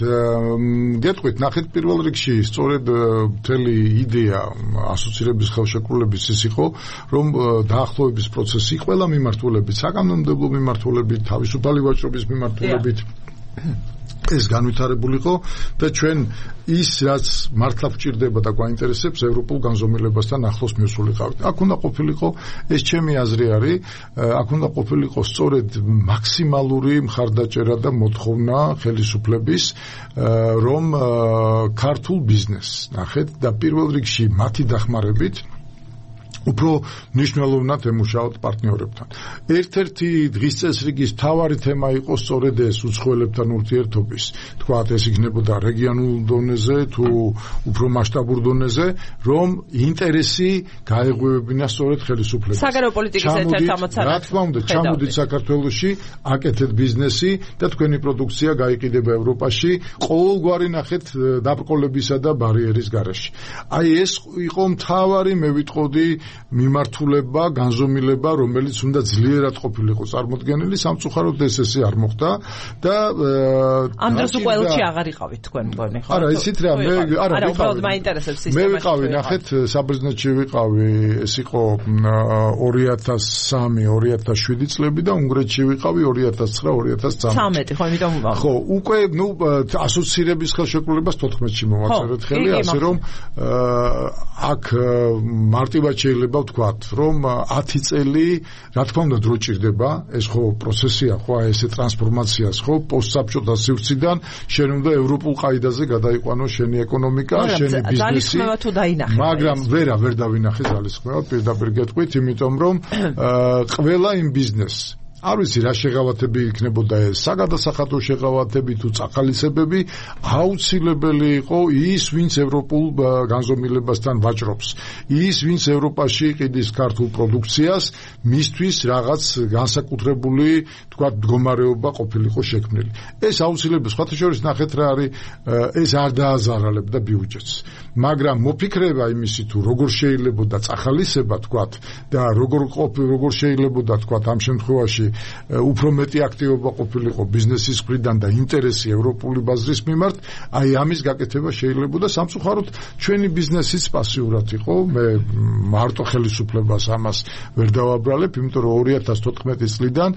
გეტყვით, ნახეთ პირველ რიგში სწორედ მთელი იდეა ასოცირების ხელშეკრულების ის იყო, რომ დაახლოების პროცესი ყველა მიმართულებით, საკანონმდებლო მიმართულებით, თავისუფალი ვაჭრობის მიმართულებით ეს განვითარებულიყო და ჩვენ ის რაც მართლა გვჭირდება და გვაინტერესებს ევროპულ განზომილებასთან ახლოს მისულიყავით. აქ უნდა ყოფილიყო, ეს ჩემი აზრი არის, აქ უნდა ყოფილიყო სწორედ მაქსიმალური მხარდაჭერა და მოთხოვნა ხელისუფლების, რომ ქართულ ბიზნესს ნახეთ და პირველ რიგში მათი დახმარებით უფრო მნიშვნელოვნად ემუშაოთ პარტნიორებთან. ერთ-ერთი დღის წესრიგის მთავარი თემა იყო სწორედ ეს უცხოელებთან ურთიერთობის. თქვათ, ეს იქნებოდა რეგიონულ დონეზე თუ უფრო მასშტაბურ დონეზე, რომ ინტერესი გაეღვივებინა სწორედ ხელისუფლებას. საგარეო პოლიტიკის ერთ-ერთ ამოცანად. რა თქმა უნდა, ჩამოდით საქართველოში, აკეთეთ ბიზნესი და თქვენი პროდუქცია გაიყიდება ევროპაში, ყოველგვარი ნახეთ დაბრკოლებისა და ბარიერის გარეშე. აი ეს იყო მთავარი, მე ვიტყოდი, მიმართულება, განზომილება, რომელიც უნდა ძლიერად ყოფილიყო წარმოდგენილი, სამწუხაროდ ეს არ მოხდა და ამ დროს უკვე ელჩი აღარ იყავით თქვენ მგონი ხო? არა, იცით რა, მე უბრალოდ მაინტერესებს სისტემა. მე ვიყავი, ნახეთ, საბერძნეთში ვიყავი, ეს იყო 2003-2007 წლები და უნგრეთში ვიყავი 2009-2013. ხო, იმიტომ ხო, უკვე ასოცირების ხელშეკრულებას 14-ში მოვაწერეთ ხელი, ასე რომ აქ მარტივად შეიძლება ვთქვათ, რომ 10 წელი, რა თქმა უნდა, დრო ჭირდება, ეს ხო პროცესია, ხო, ესე ტრანსფორმაციას, ხო, პოსტსაბჭოთა სივრციდან შენ უნდა ევროპულ ყაიდაზე გადაიყვანო შენი ეკონომიკა, შენი ბიზნესი. მაგრამ ვერ დავინახე ძალისხმევა, პირდაპირ გეტყვით, იმიტომ რომ ყველა იმ ბიზნესს არ ვიცი რა შეღავათები იქნებოდა ეს საგადასახადო შეღავათები თუ წახალისებები აუცილებელი იყო ის ვინც ევროპულ განზომილებასთან ვაჭრობს ის ვინც ევროპაში ყიდის ქართულ პროდუქციას მისთვის რაღაც განსაკუთრებული თქვა მდგომარეობა ყოფილიყო შექმნილი ეს აუცილებელი სხვათა შორის ნახეთ რა არის ეს არ დააზარალებდა ბიუჯეტს მაგრამ მოფიქრება იმისი თუ როგორ შეიძლებოდა წახალისება თქვა და როგორ შეიძლებოდა თქვა ამ შემთხვევაში უფრო მეტი აქტივობა ყოფილიყო ბიზნესის მხრიდან და ინტერესი ევროპული ბაზრის მიმართ, აი ამის გაკეთება შეიძლებოდა სამწუხაროდ ჩვენი ბიზნესიც პასიურად იყო. მე მარტო ხელისუფლებას ამას ვერ დავაბრალებ, იმიტომ რომ 2014 წლიდან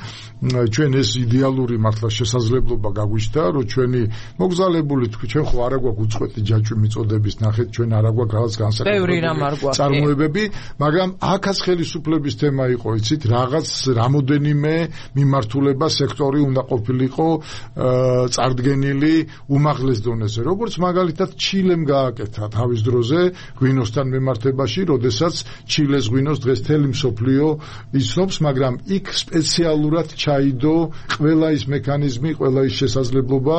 ჩვენ ეს იდეალური მართლა შესაძლებლობა გაგვიჩნდა, რომ ჩვენი მოგზალებული ჩვენ ხო არა გვაქვს უწყვეტი ჯაჭვი მიწოდების, ნახეთ ჩვენ არა გვაქვს რაღაც განსაკუთრებული წარმოებები, მაგრამ აქაც ხელისუფლების თემა იყო, იცით, რაღაც რამოდენიმე მიმართულება სექტორი უნდა ყოფილიყო წარდგენილი უმაღლეს დონეზე. როგორც მაგალითად ჩილემ გააკეთა თავის დროზე ღვინოსთან მიმართებაში, როდესაც ჩილეს ღვინოს დღეს მთელი მსოფლიო იცნობს, მაგრამ იქ სპეციალურად ჩაიდო ყველა ის მექანიზმი, ყველა ის შესაძლებლობა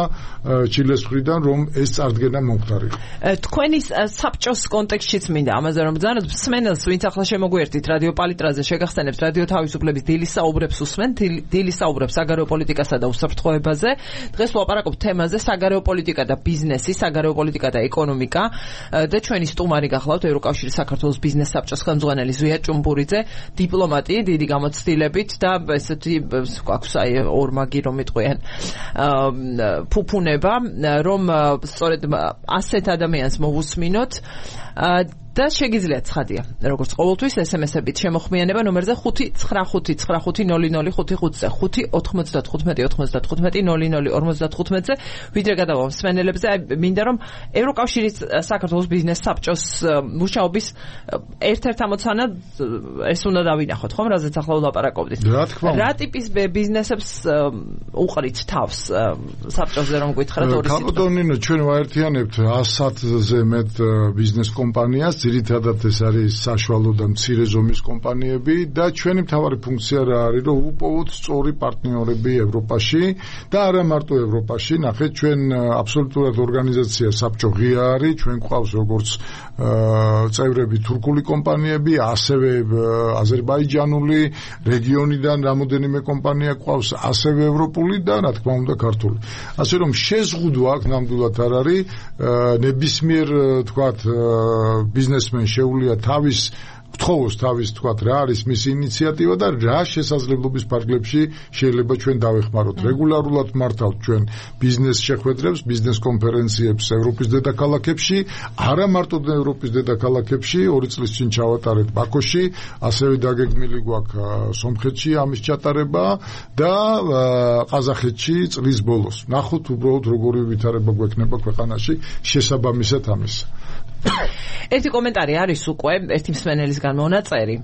ჩილეს მხრიდან, რომ ეს წარდგენა მომხდარიყო. თქვენი საბჭოს კონტექსტშიც მინდა ამაზე რომ ბრძანოთ, მსმენელს ვინც ახლა შემოგვიერთით რადიო პალიტრაზე შეგახსენებთ რადიო თავისუფლების დილის საუბრებს უსმენ დილის საუბრებს საგარეო პოლიტიკასა და უსაფრთხოებაზე. დღეს ვლაპარაკობთ თემაზე საგარეო პოლიტიკა და ბიზნესი, საგარეო პოლიტიკა და ეკონომიკა და ჩვენი სტუმარი გახლავთ ევროკავშირის საქართველოს ბიზნეს საბჭოს ხელმძღვანელი ზვია ჭუმბურიძე, დიპლომატი დიდი გამოცდილებით და ესეთი გვაქვს აი ორმაგი რომ იტყვიან ფუფუნება, რომ სწორედ ასეთ ადამიანს მოვუსმინოთ და შეგიძლიათ ცხადია, როგორც ყოველთვის SMS-ებით შემოხმიანება ნომერზე 595500555-ზე 595-95-95-00-55-ზე ვიდრე გადავალ მსმენელებზე, მინდა რომ ევროკავშირის საქართველოს ბიზნეს საბჭოს მუშაობის ერთ-ერთ ამოცანად ეს უნდა დავინახოთ, ხომ, რაზეც ახლა ვლაპარაკობდით. რა ტიპის ბიზნესებს უყრით თავს საბჭოზე რომ გითხრათ ორი სიტყვა. კაპიტონინო, ჩვენ ვაერთიანებთ 100-ზე მეტ ბიზნეს კომპანიას, ძირითადად ეს არის საშუალო და მცირე ზომის კომპანიები და ჩვენი მთავარი ფუნქცია რა არის, რომ უპოვოთ სწორი პარტნიორები ევროპაში და არა მარტო ევროპაში. ნახეთ, ჩვენ აბსოლუტურად ორგანიზაცია საბჭო ღია არის, ჩვენ გვყავს როგორც წევრები თურქული კომპანიები, ასევე აზერბაიჯანული, რეგიონიდან რამოდენიმე კომპანია გვყავს, ასევე ევროპული და რა თქმა უნდა ქართული. ასე რომ შეზღუდვა აქ ნამდვილად არ არის, ნებისმიერ თქვათ ბიზნესმენ შეუძლია თხოვოს თავის თქვათ რა არის მისი ინიციატივა და რა შესაძლებლობის ფარგლებში შეიძლება ჩვენ დავეხმაროთ. რეგულარულად მართავთ ჩვენ ბიზნეს შეხვედრებს, ბიზნეს კონფერენციებს ევროპის დედაქალაქებში, არა მარტო ევროპის დედაქალაქებში, 2 წლის წინ ჩავატარეთ ბაქოში, ასევე დაგეგმილი გვაქვს სომხეთში ამის ჩატარება და ყაზახეთში წლის ბოლოს. ნახოთ უბრალოდ როგორი ვითარება გვექნება ქვეყანაში შესაბამისად ამისა. ერთი კომენტარი არის უკვე ერთი მსმენელისგან მონაწერი,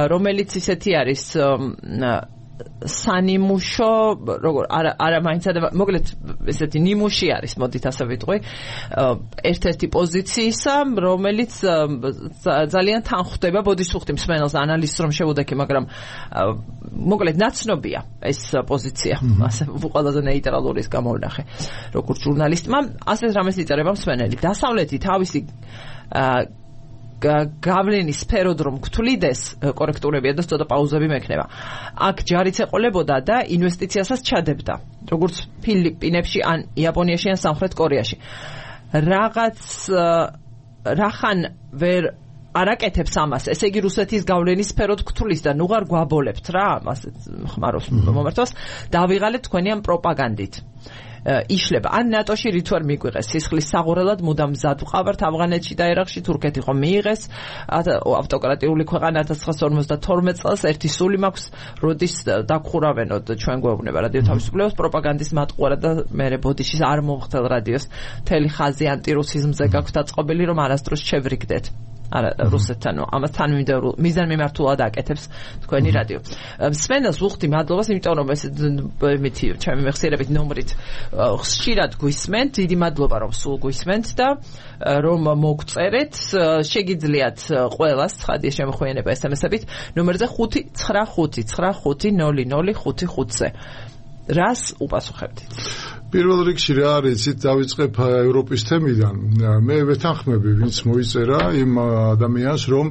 რომელიც ისეთი არის სანიმუშო, როგორ არა მაინც მოკლედ ესეთი ნიმუში არის, მოდით ასე ვიტყვი, ერთ-ერთი პოზიციისა, რომელიც ძალიან თან ხვდება, ბოდისუხტი მსმენელს ანალიზს რომ შევუდექი, მაგრამ მოკლედ ნაცნობია ეს პოზიცია, ასე ყველაზე ნეიტრალურის გამოვნახე, როგორც ჟურნალისტმა, ასეთ რამეს იწერება მსმენელი. დასავლეთი თავისი გავლენის სფეროდ რომ გთვლიდეს, კორექტურებია და ცოტა პაუზები მექნება. აქ ჯარიც ეყოლებოდა და ინვესტიციასაც ჩადებდა, როგორც ფილიპინებში ან იაპონიაში ან სამხრეთ კორეაში. რაღაც რახან ვერ არაკეთებს ამას. ესე იგი რუსეთის გავლენის სფეროდ გთulis და ნუ არ გვაბოლებთ რა, ასეთ ხმარობს მომართვას, დავიღალეთ თქვენი ამ პროპაგანდით. იშლება. ან ნატოში რით ვერ მიგვიღეს სისხლის საღურელად მუდამ მზად ვყავართ ავღანეთში და ერაყში თურქეთი ხომ მიიღეს ავტოკრატიული ქვეყანა 1952 წელს ერთი სული მაქვს როდის დაგხურავენოთ ჩვენ გვეუბნება რადიო თავისუფლებას პროპაგანდის მატყუარა და მე ბოდიშის არ მომხდელ რადიოს მთელი ხაზი ანტირუსიზმზე გაქვს დაწყობილი რომ არასდროს შევრიგდეთ არა რუსეთთან ამასთან მიზანმიმართულად აკეთებს თქვენი რადიო. სვენას ვუხდი მადლობას, იმიტომ რომ ეს მითი ჩემი მეხსიერებით ნომრით ხშირად გვისმენთ, დიდი მადლობა რომ სულ გვისმენთ და რომ მოგწერეთ, შეგიძლიათ ყველას ცხადია შემოხვენება SMS-ებით ნომერზე 595-950055-ზე. რას უპასუხებთ? პირველ რიგში რა არის, იცით, დავიწყებ ევროპის თემიდან. მე ვეთანხმები, ვინც მოიწერა იმ ადამიანს, რომ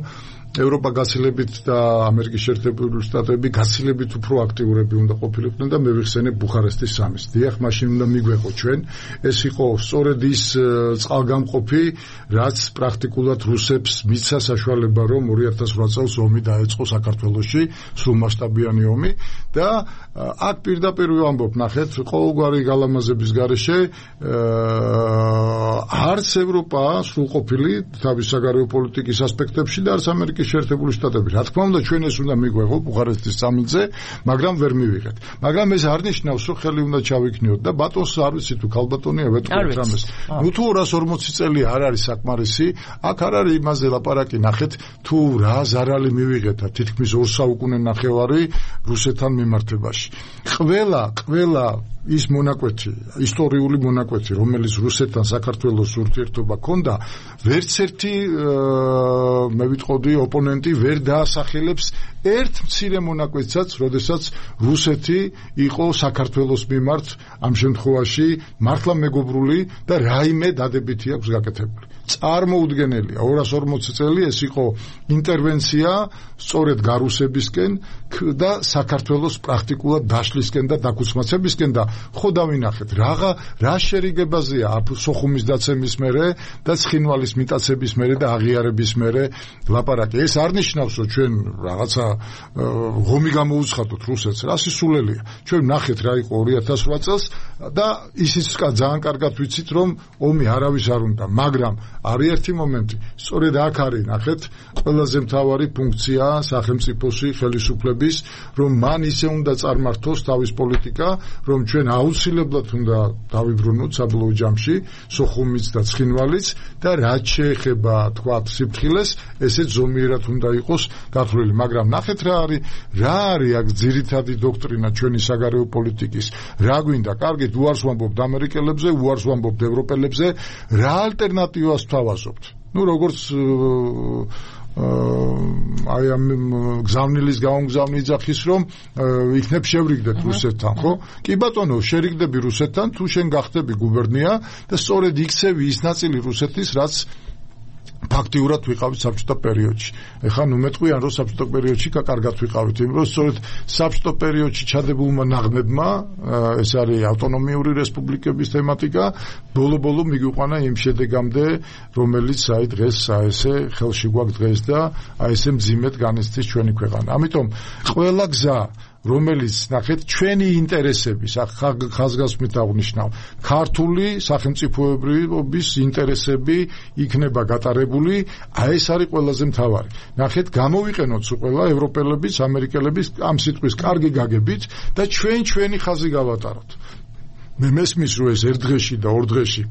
ევროპა გაცილებით და ამერიკის შეერთებული შტატები გაცილებით უფრო აქტიურები უნდა ყოფილიყვნენ და მე ვიხსენებ ბუხარესტის სამის. დიახ, მაშინ უნდა მიგვეყო ჩვენ. ეს იყო სწორედ ის წყალგამყოფი, რაც პრაქტიკულად რუსებს მიცა საშუალება, რომ 2008 წელს ომი დაეწყო საქართველოში, სრულმასშტაბიანი ომი და აქ პირდაპირ ვამბობ, ნახეთ, ყოველგვარი გალამაზების გარეშე არც ევროპა სრულყოფილი თავის საგარეო პოლიტიკის ასპექტებში და არც ამერიკის შეერთებული შტატები. რა თქმა უნდა, ჩვენ ეს უნდა მიგვეღო ბუხარესტის სამიტზე, მაგრამ ვერ მივიღეთ. მაგრამ ეს არ ნიშნავს, რომ ხელი უნდა ჩავიქნიოთ და ბატონს არ ვიცი თუ ქალბატონია ვეთქვით რამეს. ნუ თუ 240 წელი არ არის საკმარისი, აქ არ არის იმაზე ლაპარაკი, ნახეთ, თუ რა ზარალი მივიღეთ და თითქმის 2 საუკუნე ნახევარი რუსეთთან მიმართებაში. ყველა ის მონაკვეთი, ისტორიული მონაკვეთი, რომელიც რუსეთთან საქართველოს ურთიერთობა ჰქონდა, ვერც ერთი მე ვიტყოდი ოპონენტი ვერ დაასახელებს ერთ მცირე მონაკვეთსაც, როდესაც რუსეთი იყო საქართველოს მიმართ ამ შემთხვევაში მართლა მეგობრული და რაიმე დადებითი აქვს გაკეთებული. წარმოუდგენელია 240 წელი ეს იყო ინტერვენცია სწორედ გარუსებისკენ და საქართველოს პრაქტიკულად დაშლისკენ და დაქუცმაცებისკენ და ხო დავინახეთ რა შერიგებაზეა სოხუმის დაცემის მერე და ცხინვალის მიტაცების მერე და აღიარების მერე ლაპარაკი. ეს არ ნიშნავს რომ ჩვენ რაღაცა ღომი გამოუცხადოთ რუსეთს, რა სისულელია. ჩვენ ნახეთ რა იყო 2008 წელს და ისიც ძალიან კარგად ვიცით რომ ომი არავის არ უნდა, მაგრამ არის ერთი მომენტი, სწორედ აქ არის, ნახეთ, ყველაზე მთავარი ფუნქცია სახელმწიფოსი ხელისუფლების, რომ მან ისე უნდა წარმართოს თავის პოლიტიკა, რომ ჩვენ აუცილებლად უნდა დავიბრუნოთ საბოლოო ჯამში სოხუმიც და ცხინვალიც და რაც შეეხება თქვათ სიფრთხილეს, ესეც ზომიერად უნდა იყოს გათვლილი, მაგრამ ნახეთ რა არის აქ ძირითადი დოქტრინა ჩვენი საგარეო პოლიტიკის, რა გვინდა, კარგით, უარს ვამბობთ ამერიკელებზე, უარს ვამბობთ ევროპელებზე, რა ალტერნატივას ვთავაზობთ. ნუ როგორც აი ამ გზავნილის გამომგზავნი იძახის რომ იქნებ შევრიგდეთ რუსეთთან, ხო? კი ბატონო, შერიგდები რუსეთთან, თუ შენ გახდები გუბერნია და სწორედ იქცევი ის ნაწილი რუსეთის, რაც ფაქტიურად ვიყავით საბჭოთა პერიოდში. ეხლა ნუ მეტყვიან რომ საბჭოთა პერიოდში კარგად ვიყავით, იმიტომ რომ სწორედ საბჭოთა პერიოდში ჩადებულმა ნაღმებმა, ეს არის ავტონომიური რესპუბლიკების თემატიკა, ბოლო-ბოლო მიგვიყვანა იმ შედეგამდე, რომელიც აი დღეს ესე ხელში გვაქვს დღეს და აი ესე მძიმედ განიცდის ჩვენი ქვეყანა. ამიტომ ყველა გზა რომელიც ნახეთ ჩვენი ინტერესების ხაზგასმით აღნიშნავ ქართული სახელმწიფოებრიობის ინტერესები იქნება გატარებული, აი ეს არის ყველაზე მთავარი. ნახეთ გამოვიყენოთ სულ ყველა ევროპელებიც, ამერიკელებიც ამ სიტყვის კარგი გაგებით და ჩვენი ხაზი გავატაროთ. მე მესმის რომ ეს ერთ დღეში და ორ დღეში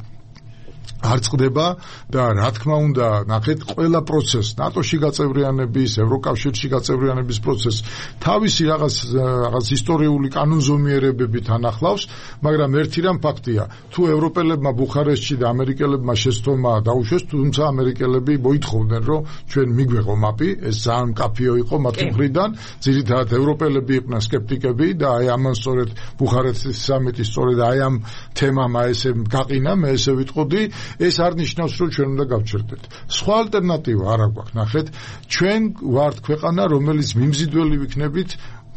არ წყდება და რა თქმა უნდა ნახეთ ყველა პროცესი ნატოში გაწევრიანების, ევროკავშირში გაწევრიანების პროცესი თავისი რაღაც ისტორიული კანონზომიერებებით ანახლავს, მაგრამ ერთი რამ ფაქტია, თუ ევროპელებმა ბუხარესტში და ამერიკელებმა შეცდომა დაუშვეს, თუმცა ამერიკელები მოითხოვდნენ რომ ჩვენ მიგვეღო მაპი, ეს ძალიან მკაფიო იყო მათი მხრიდან, ძირითადად ევროპელები იყვნენ სკეპტიკები და აი ამან სწორედ ბუხარესტის სამიტი სწორედ აი ამ თემამ ესე გაყინა, მე ესე ვიტყოდი. ეს არ ნიშნავს რომ ჩვენ უნდა გავჩერდეთ. სხვა ალტერნატივა არ აქვს, ნახეთ, ჩვენ ვართ ქვეყანა, რომელიც მიმზიდველი ვიქნებით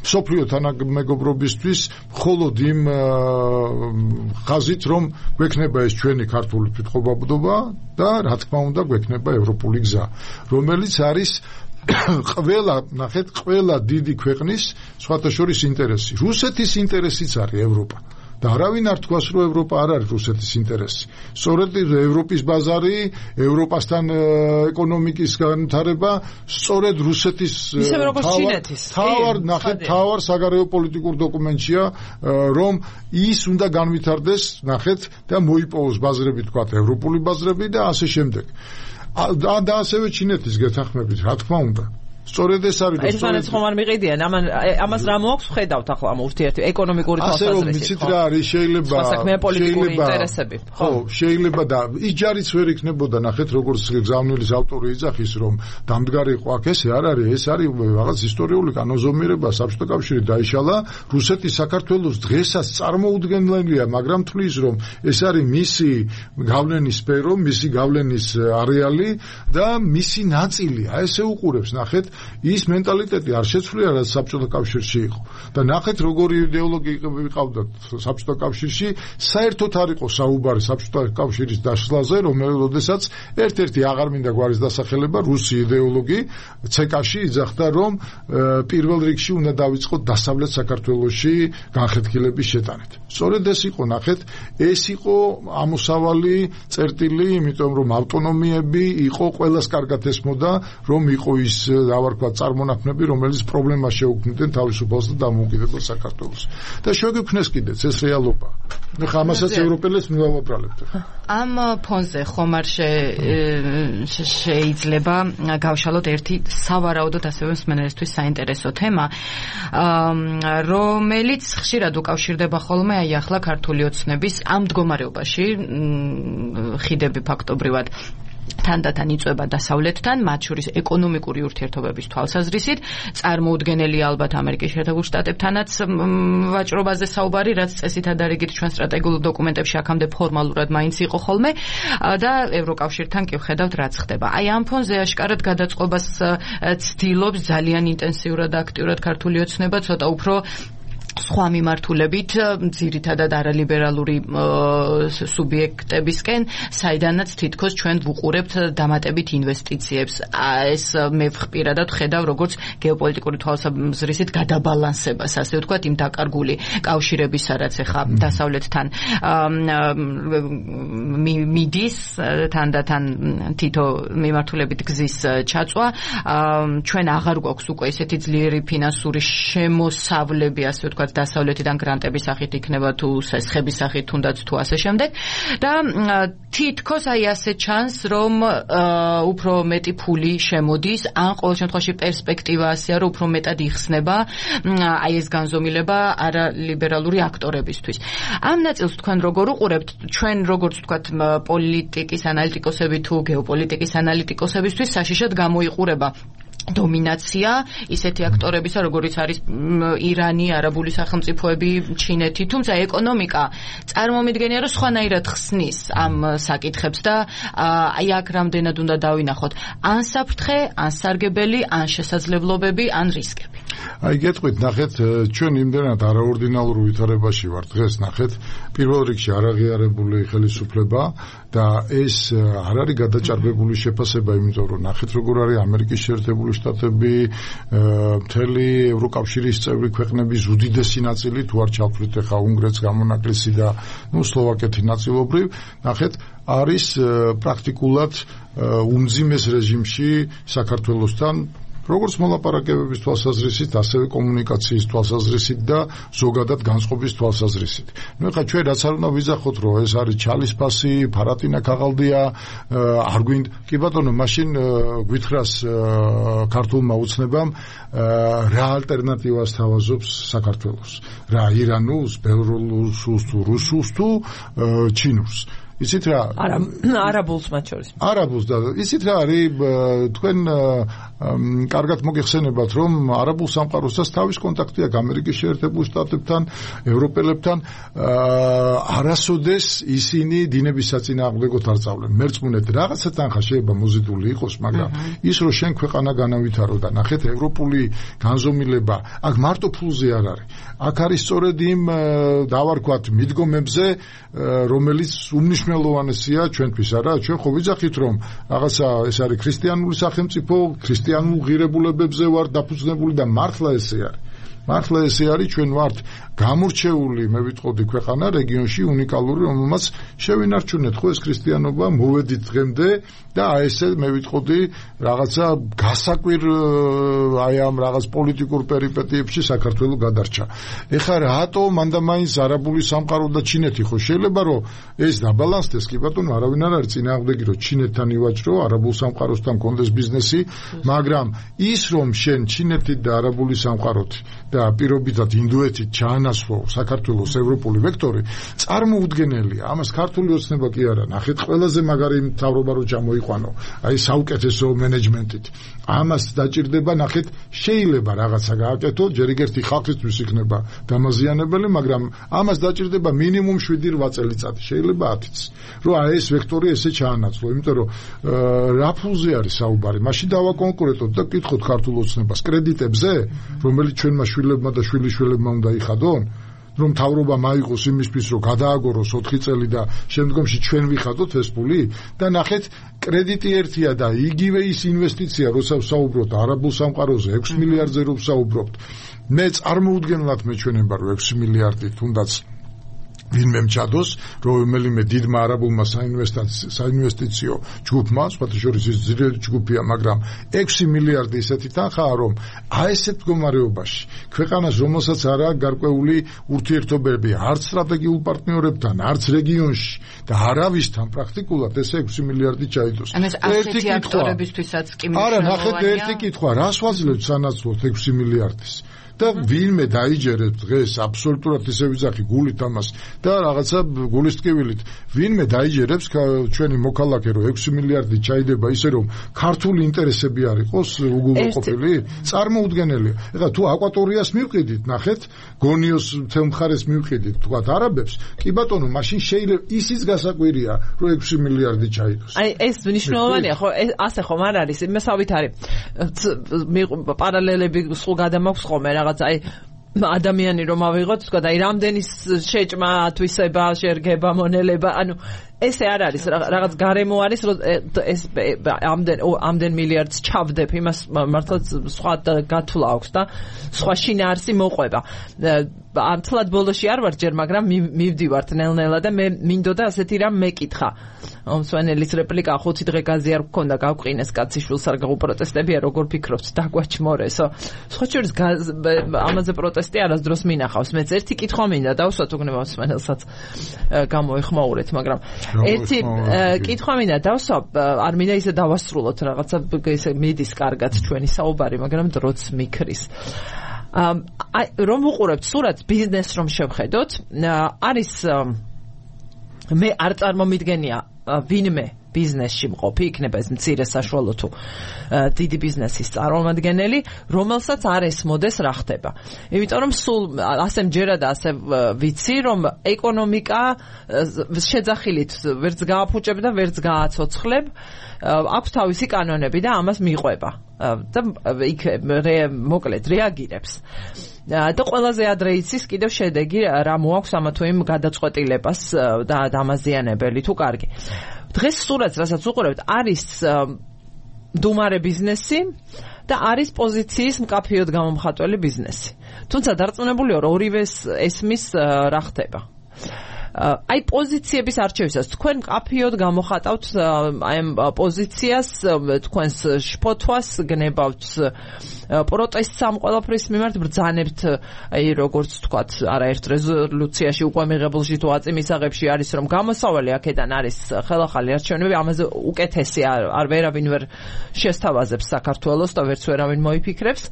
სოფლიო თანამეგობრობისთვის მხოლოდ იმ ხაზით, რომ გვექნება ეს ჩვენი ქართული თვითყოფადობა და რა თქმა უნდა გვექნება ევროპული გზა, რომელიც არის ყველა დიდი ქვეყნის სხვათა შორის ინტერესი. რუსეთის ინტერესიც არის ევროპა. და არავინ არ თქვას, რომ ევროპა არ არის რუსეთის ინტერესი. სწორედ ევროპის ბაზარი, ევროპასთან ეკონომიკის განვითარება, სწორედ რუსეთის თავარ საგარეო პოლიტიკურ დოკუმენტია, რომ ის უნდა განვითარდეს, და მოიპოვოს ბაზრები, თქვათ, ევროპული ბაზრები და ასე შემდეგ. და ასევე ჩინეთის გეთანხმებით, რა თქმა უნდა. სწორედ ეს არის ერთმანეთს ხომ არ მიყიდიან, ამას რა მოაქვს ვხედავთ ახლა ამ ურთიერთი ეკონომიკური თვალსაზრისით. ასე ვიცით რა არის, შეიძლება და ის ჯარიც ვერ იქნებოდა, ნახეთ როგორც გზავნილის ავტორი იძახის, რომ დამდგარი იყო აქ, ეს არ არის, ეს არის რაღაც ისტორიული კანონზომიერება, საბჭოთა კავშირი დაიშალა, რუსეთი საქართველოს დღესაც წარმოუდგენელია, მაგრამ თვლის, რომ ეს არის მისი გავლენის სფერო, მისი გავლენის არეალი და მისი ნაწილია. ესე უყურებს, ნახეთ ის მენტალიტეტი არ შეცვლია, რაც საბჭოთა კავშირში იყო. და ნახეთ როგორი იდეოლოგია ვიყავდათ საბჭოთა კავშირში, საერთოდ არ იყო საუბარი საბჭოთა კავშირის დაშლაზე, როდესაც ერთ-ერთი აღარ მინდა გვარის დასახელება, რუსი იდეოლოგი ცეკაში იძახდა, რომ პირველ რიგში უნდა დავიწყოთ დასავლეთ საქართველოში განხეთქილების შეტანით. სწორედ ეს იყო, ნახეთ, ეს იყო ამოსავალი წერტილი, იმიტომ რომ ავტონომიები იყო ყველას კარგად ესმოდა, რომ იყო ის დავარქვა წარმონაქმნები, რომელიც პრობლემას შეუქმნიდნენ თავისუფალს და დამოუკიდებელ საქართველოს. და შეგვიქმნეს კიდეც ეს რეალობა. ხა ამასაც ევროპელებს მივავაბრალებთ. ამ ფონზე ხომ არ შეიძლება გავშალოთ ერთი სავარაუდოდ ასევე მსმენელისთვის საინტერესო თემა, რომელიც ხშირად უკავშირდება ხოლმე აი ახლა ქართული ოცნების ამ მდგომარეობაში, ხიდები ფაქტობრივად თანდათან იწვება დასავლეთთან, მათ შორის ეკონომიკური ურთიერთობების თვალსაზრისით, წარმოუდგენელი ალბათ ამერიკის შეერთებულ შტატებთანაც ვაჭრობაზე საუბარი, რაც წესითა და რიგით ჩვენ სტრატეგიულ დოკუმენტებში აქამდე ფორმალურად მაინც იყო ხოლმე და ევროკავშირთან კი ვხედავთ რაც ხდება. აი ამ ფონზე აშკარად გადაწყობას ცდილობს ძალიან ინტენსიურად და აქტიურად ქართული ოცნება, ცოტა უფრო სხვა მიმართულებით, ძირითადად არალიბერალური სუბიექტებისკენ, საიდანაც თითქოს ჩვენ ვუყურებთ დამატებით ინვესტიციებს. ეს მე პირადად ხედავ როგორც გეოპოლიტიკური თვალსაზრისით გადაბალანსებას, ასე ვთქვათ, იმ დაკარგული კავშირებისა, რაც ახლა დასავლეთთან მიდის, თანდათან თითო მიმართულებით გზის ჩაწვა. ჩვენ აღარ გვაქვს უკვე ესეთი ძლიერი ფინანსური შემოსავლები, ასე ვთქვათ, დასავლეთიდან გრანტების სახით იქნება თუ სესხების სახით თუნდაც თუ ასე შემდეგ და თითქოს აი ასე ჩანს რომ უფრო მეტი ფული შემოდის ან ყოველ შემთხვევაში პერსპექტივა ასეა რომ უფრო მეტად იხსნება აი ეს განზომილება არალიბერალური აქტორებისთვის. ამ ნაწილს თქვენ როგორ უყურებთ? ჩვენ როგორც ვთქვათ პოლიტიკის ანალიტიკოსები თუ გეოპოლიტიკის ანალიტიკოსებისთვის საშიშად გამოიყურება დომინაცია ისეთი აქტორებისა, როგორიც არის ირანი, არაბული სახელმწიფოები, ჩინეთი, თუმცა ეკონომიკა წარმომიდგენია, რომ სხვანაირად ხსნის ამ საკითხებს და აი აქ რამდენად უნდა დავინახოთ ან საფრთხე, ან სარგებელი, ან შესაძლებლობები, ან რისკები. აი გეტყვით, ნახეთ, ჩვენ იმდენად არაორდინალურ ვითარებაში ვართ დღეს, ნახეთ, პირველ რიგში არაღიარებული ხელისუფლება და ეს არ არის გადაჭარბებული შეფასება, იმიტომ რომ ნახეთ როგორ არის ამერიკის შეერთებული შტატები, მთელი ევროკავშირის წევრი ქვეყნების უდიდესი ნაწილი, თუ არ ჩავთვლით ახლა უნგრეთს გამონაკლისი და სლოვაკეთი ნაწილობრივ, ნახეთ, არის პრაქტიკულად უმძიმეს რეჟიმში საქართველოსთან, როგორც მოლაპარაკებების თვალსაზრისით, ასევე კომუნიკაციის თვალსაზრისით და ზოგადად განწყობის თვალსაზრისით. ეხლა ჩვენ რაც არ უნდა ვიზახოთ, რომ ეს არის ჩალისფასი, ფარატინა ქაღალდია, არ გვინდა. კი ბატონო, მაშინ გვითხრას ქართულმა ოცნებამ რა ალტერნატივას თავაზობს საქართველოს? რა ირანულს, ბელორუსულს თუ რუსულს თუ ჩინურს? იცით რა არაბულს მათ შორის არაბულს და იცით რა არის თქვენ კარგად მოგეხსენებათ რომ არაბულ სამყაროსთან თავის კონტაქტი აქვს ამერიკის შეერთებულ შტატებთან ევროპელებთან არასოდეს ისინი დინების საწინააღმდეგოდ არ წავლენ მერწმუნეთ რაღაცა თანხა შეიძლება მოზიდული იყოს მაგრამ ის რომ შენ ქვეყანა განავითარო და ნახეთ ევროპული განზომილება აქ მარტო ფულზე არ არის აქ არის სწორედ იმ დავარქვათ მიდგომებზე რომელიც უმნიშვნელოვანესია ჩვენთვის არა ჩვენ ხო ვიძახით რომ რაღაცა ეს არის ქრისტიანული სახელმწიფო ქრისტიანულ ღირებულებებზე ვარ დაფუძნებული და მართლა ესე არის ჩვენ ვართ გამორჩეული მე ვიტყოდი ქვეყანა რეგიონში უნიკალური რომელმაც შევინარჩუნეთ ხო ეს ქრისტიანობა მოვედით დღემდე და აი ესე მე ვიტყოდი რაღაცა გასაკვირ აი ამ რაღაც პოლიტიკურ პერიპეტიებში საქართველოს გადარჩა ეხლა რატო მანდამაინც არაბული სამყარო და ჩინეთი ხო შეიძლება რომ ეს დაბალანსდეს კი ბატონო არავინ არ არის წინააღმდეგი რომ ჩინეთთან ივაჭრო არაბულ სამყაროსთან კონდეს ბიზნესი მაგრამ ის რომ შენ ჩინეთით და არაბული სამყაროთ და პირობითად ინდოეთით ჩაანაცვლო საქართველოს ევროპული ვექტორი წარმოუდგენელია ამას ქართული ოცნება კი არა ნახეთ ყველაზე მაგარი მთავრობა რო ჩამოიყვანო აი საუკეთესო მენეჯმენტით ამას დაჭირდება ნახეთ შეიძლება რაღაცა გააკეთო ჯერ ერთი ხალხისთვის იქნება დამაზიანებელი მაგრამ ამას დაჭირდება მინიმუმ 7-8 წელიწადი შეიძლება 10-იც რომ აი ეს ვექტორი ესე ჩაანაცვლო იმიტომ რომ რა ფულზე არის საუბარი მაშინ დავაკონკურენტოთ და კითხოთ ქართულ ოცნებას კრედიტებზე რომელიც ჩვენმა შვილებმა და შვილიშვილებმა უნდა იხადონ რომ თავრობა მაიღოს იმისთვის რომ გადააგოროს 4 წელი და შემდგომში ჩვენ ვიხადოთ ეს ფული და ნახეთ კრედიტი ერთია და იგივე ის ინვესტიცია როცა ვსაუბრობთ არაბულ სამყაროზე 6 მილიარდზე რომ ვსაუბრობთ მე წარმოუდგენლად მეჩვენება რომ 6 მილიარდი თუნდაც ვინმე მჭადოს რომელიმე დიდმა არაბულმა საინვესტიციო ჯგუფმა სხვათა შორის ის ძირითადი ჯგუფია მაგრამ 6 მილიარდი ისეთი თანხაა რომ აი ესეთ მდგომარეობაში ქვეყანას რომელსაც არ აქვს გარკვეული ურთიერთობები არც სტრატეგიულ პარტნიორებთან არც რეგიონში და არავისთან პრაქტიკულად ეს 6 მილიარდი ჩაიდოს ერთი ფაქტორებისთვისაც კი მნიშვნელოვანია არა ნახეთ ერთი კითხვა რას ვაძლევთ სანაცვლოდ 6 მილიარდის და ვინმე დაიჯერებს დღეს აბსოლუტურად ისე ვიძახი გულით ამას და რაღაცა გულის ტკივილით ვინმე დაიჯერებს ჩვენი მოქალაქე რომ 6 მილიარდი ჩაიდება ისე რომ ქართული ინტერესები არ იყოს უგულოყოფილი წარმოუდგენელია ეხლა თუ აკვატორიას მივყიდით ნახეთ გონიოს მთელ მხარეს მივყიდით თქვა არაბებს კი ბატონო მაშინ შეიძლება ისიც გასაკვირია რომ 6 მილიარდი ჩაიდოს აი ეს მნიშვნელოვანია ხო ასე ხომ არ არის იმასავით არის პარალელები სულ გადამაქვს ხოლმე რაღაც აი ადამიანი რომ ავიღოთ თქვა და აი რამდენი შეჭმა ათვისება შერგება მონელება ანუ ესე არ არის რაღაც გარემო არის რომ ეს ამდენ მილიარდს ჩავდებ იმას მართლა სხვა გათვლა აქვს და სხვა შინაარსი მოყვება ამთლად ბოლოში არ ვარ ჯერ მაგრამ მივდივართ ნელ-ნელა და მე მინდოდა ასეთი რამ მეკითხა მსვენელის რეპლიკა 5 დღე გაზი არ გქონდა გავყინეს კაციშვილს არ გაუპროტესტებია როგორ ფიქრობთ დაგვაჩმორესო სხვა შორის ამაზე პროტესტი არასდროს მინახავს მეც ერთი კითხვა მინდა დავსვათ უგნება მსვენელსაც გამოეხმაურეთ მაგრამ ერთი კითხვა მინდა დავსვა არ მინდა ისე დავასრულოთ რაღაცა ისე მიდის კარგად ჩვენი საუბარი მაგრამ დროც მიქრის რომ ვუყურებთ სურათს ბიზნესს რომ შევხედოთ არის მე არ წარმომიდგენია ვინმე ბიზნესში მყოფი იქნება ეს მცირე საშუალო თუ დიდი ბიზნესის წარმომადგენელი რომელსაც არ ესმოდეს რა ხდება იმიტომ რომ სულ ასე მჯერა და ასე ვიცი რომ ეკონომიკა შეძახილით ვერც გააფუჭებ და ვერც გააცოცხლებ აქვს თავისი კანონები და ამას მიყვება და იქ მოკლედ რეაგირებს და ყველაზე ადრე იცის კიდევ შედეგი რა მოაქვს ამა თუ იმ გადაწყვეტილებას და დამაზიანებელი თუ კარგი დღეს სურათს რასაც უყურებთ არის დუმარე ბიზნესი და არის პოზიციის მკაფიოდ გამომხატველი ბიზნესი თუმცა დარწმუნებულია რომ ორივეს ესმის რა ხდება აი პოზიციების არჩევისას თქვენ მკაფიოდ გამოხატავთ აი ამ პოზიციას თქვენს შფოთვას გნებავთ პროტესტს ამ ყველაფრის მიმართ ბრძანებთ აი როგორც თქვათ არაერთ რეზოლუციაში უკვე მიღებულ სიტუაციების მისაღებში არის რომ გამოსავალი აქედან არის ხელახალი არჩევნები ამაზე უკეთესი არ ვერავინ ვერ შესთავაზებს საქართველოს და ვერც ვერავინ მოიფიქრებს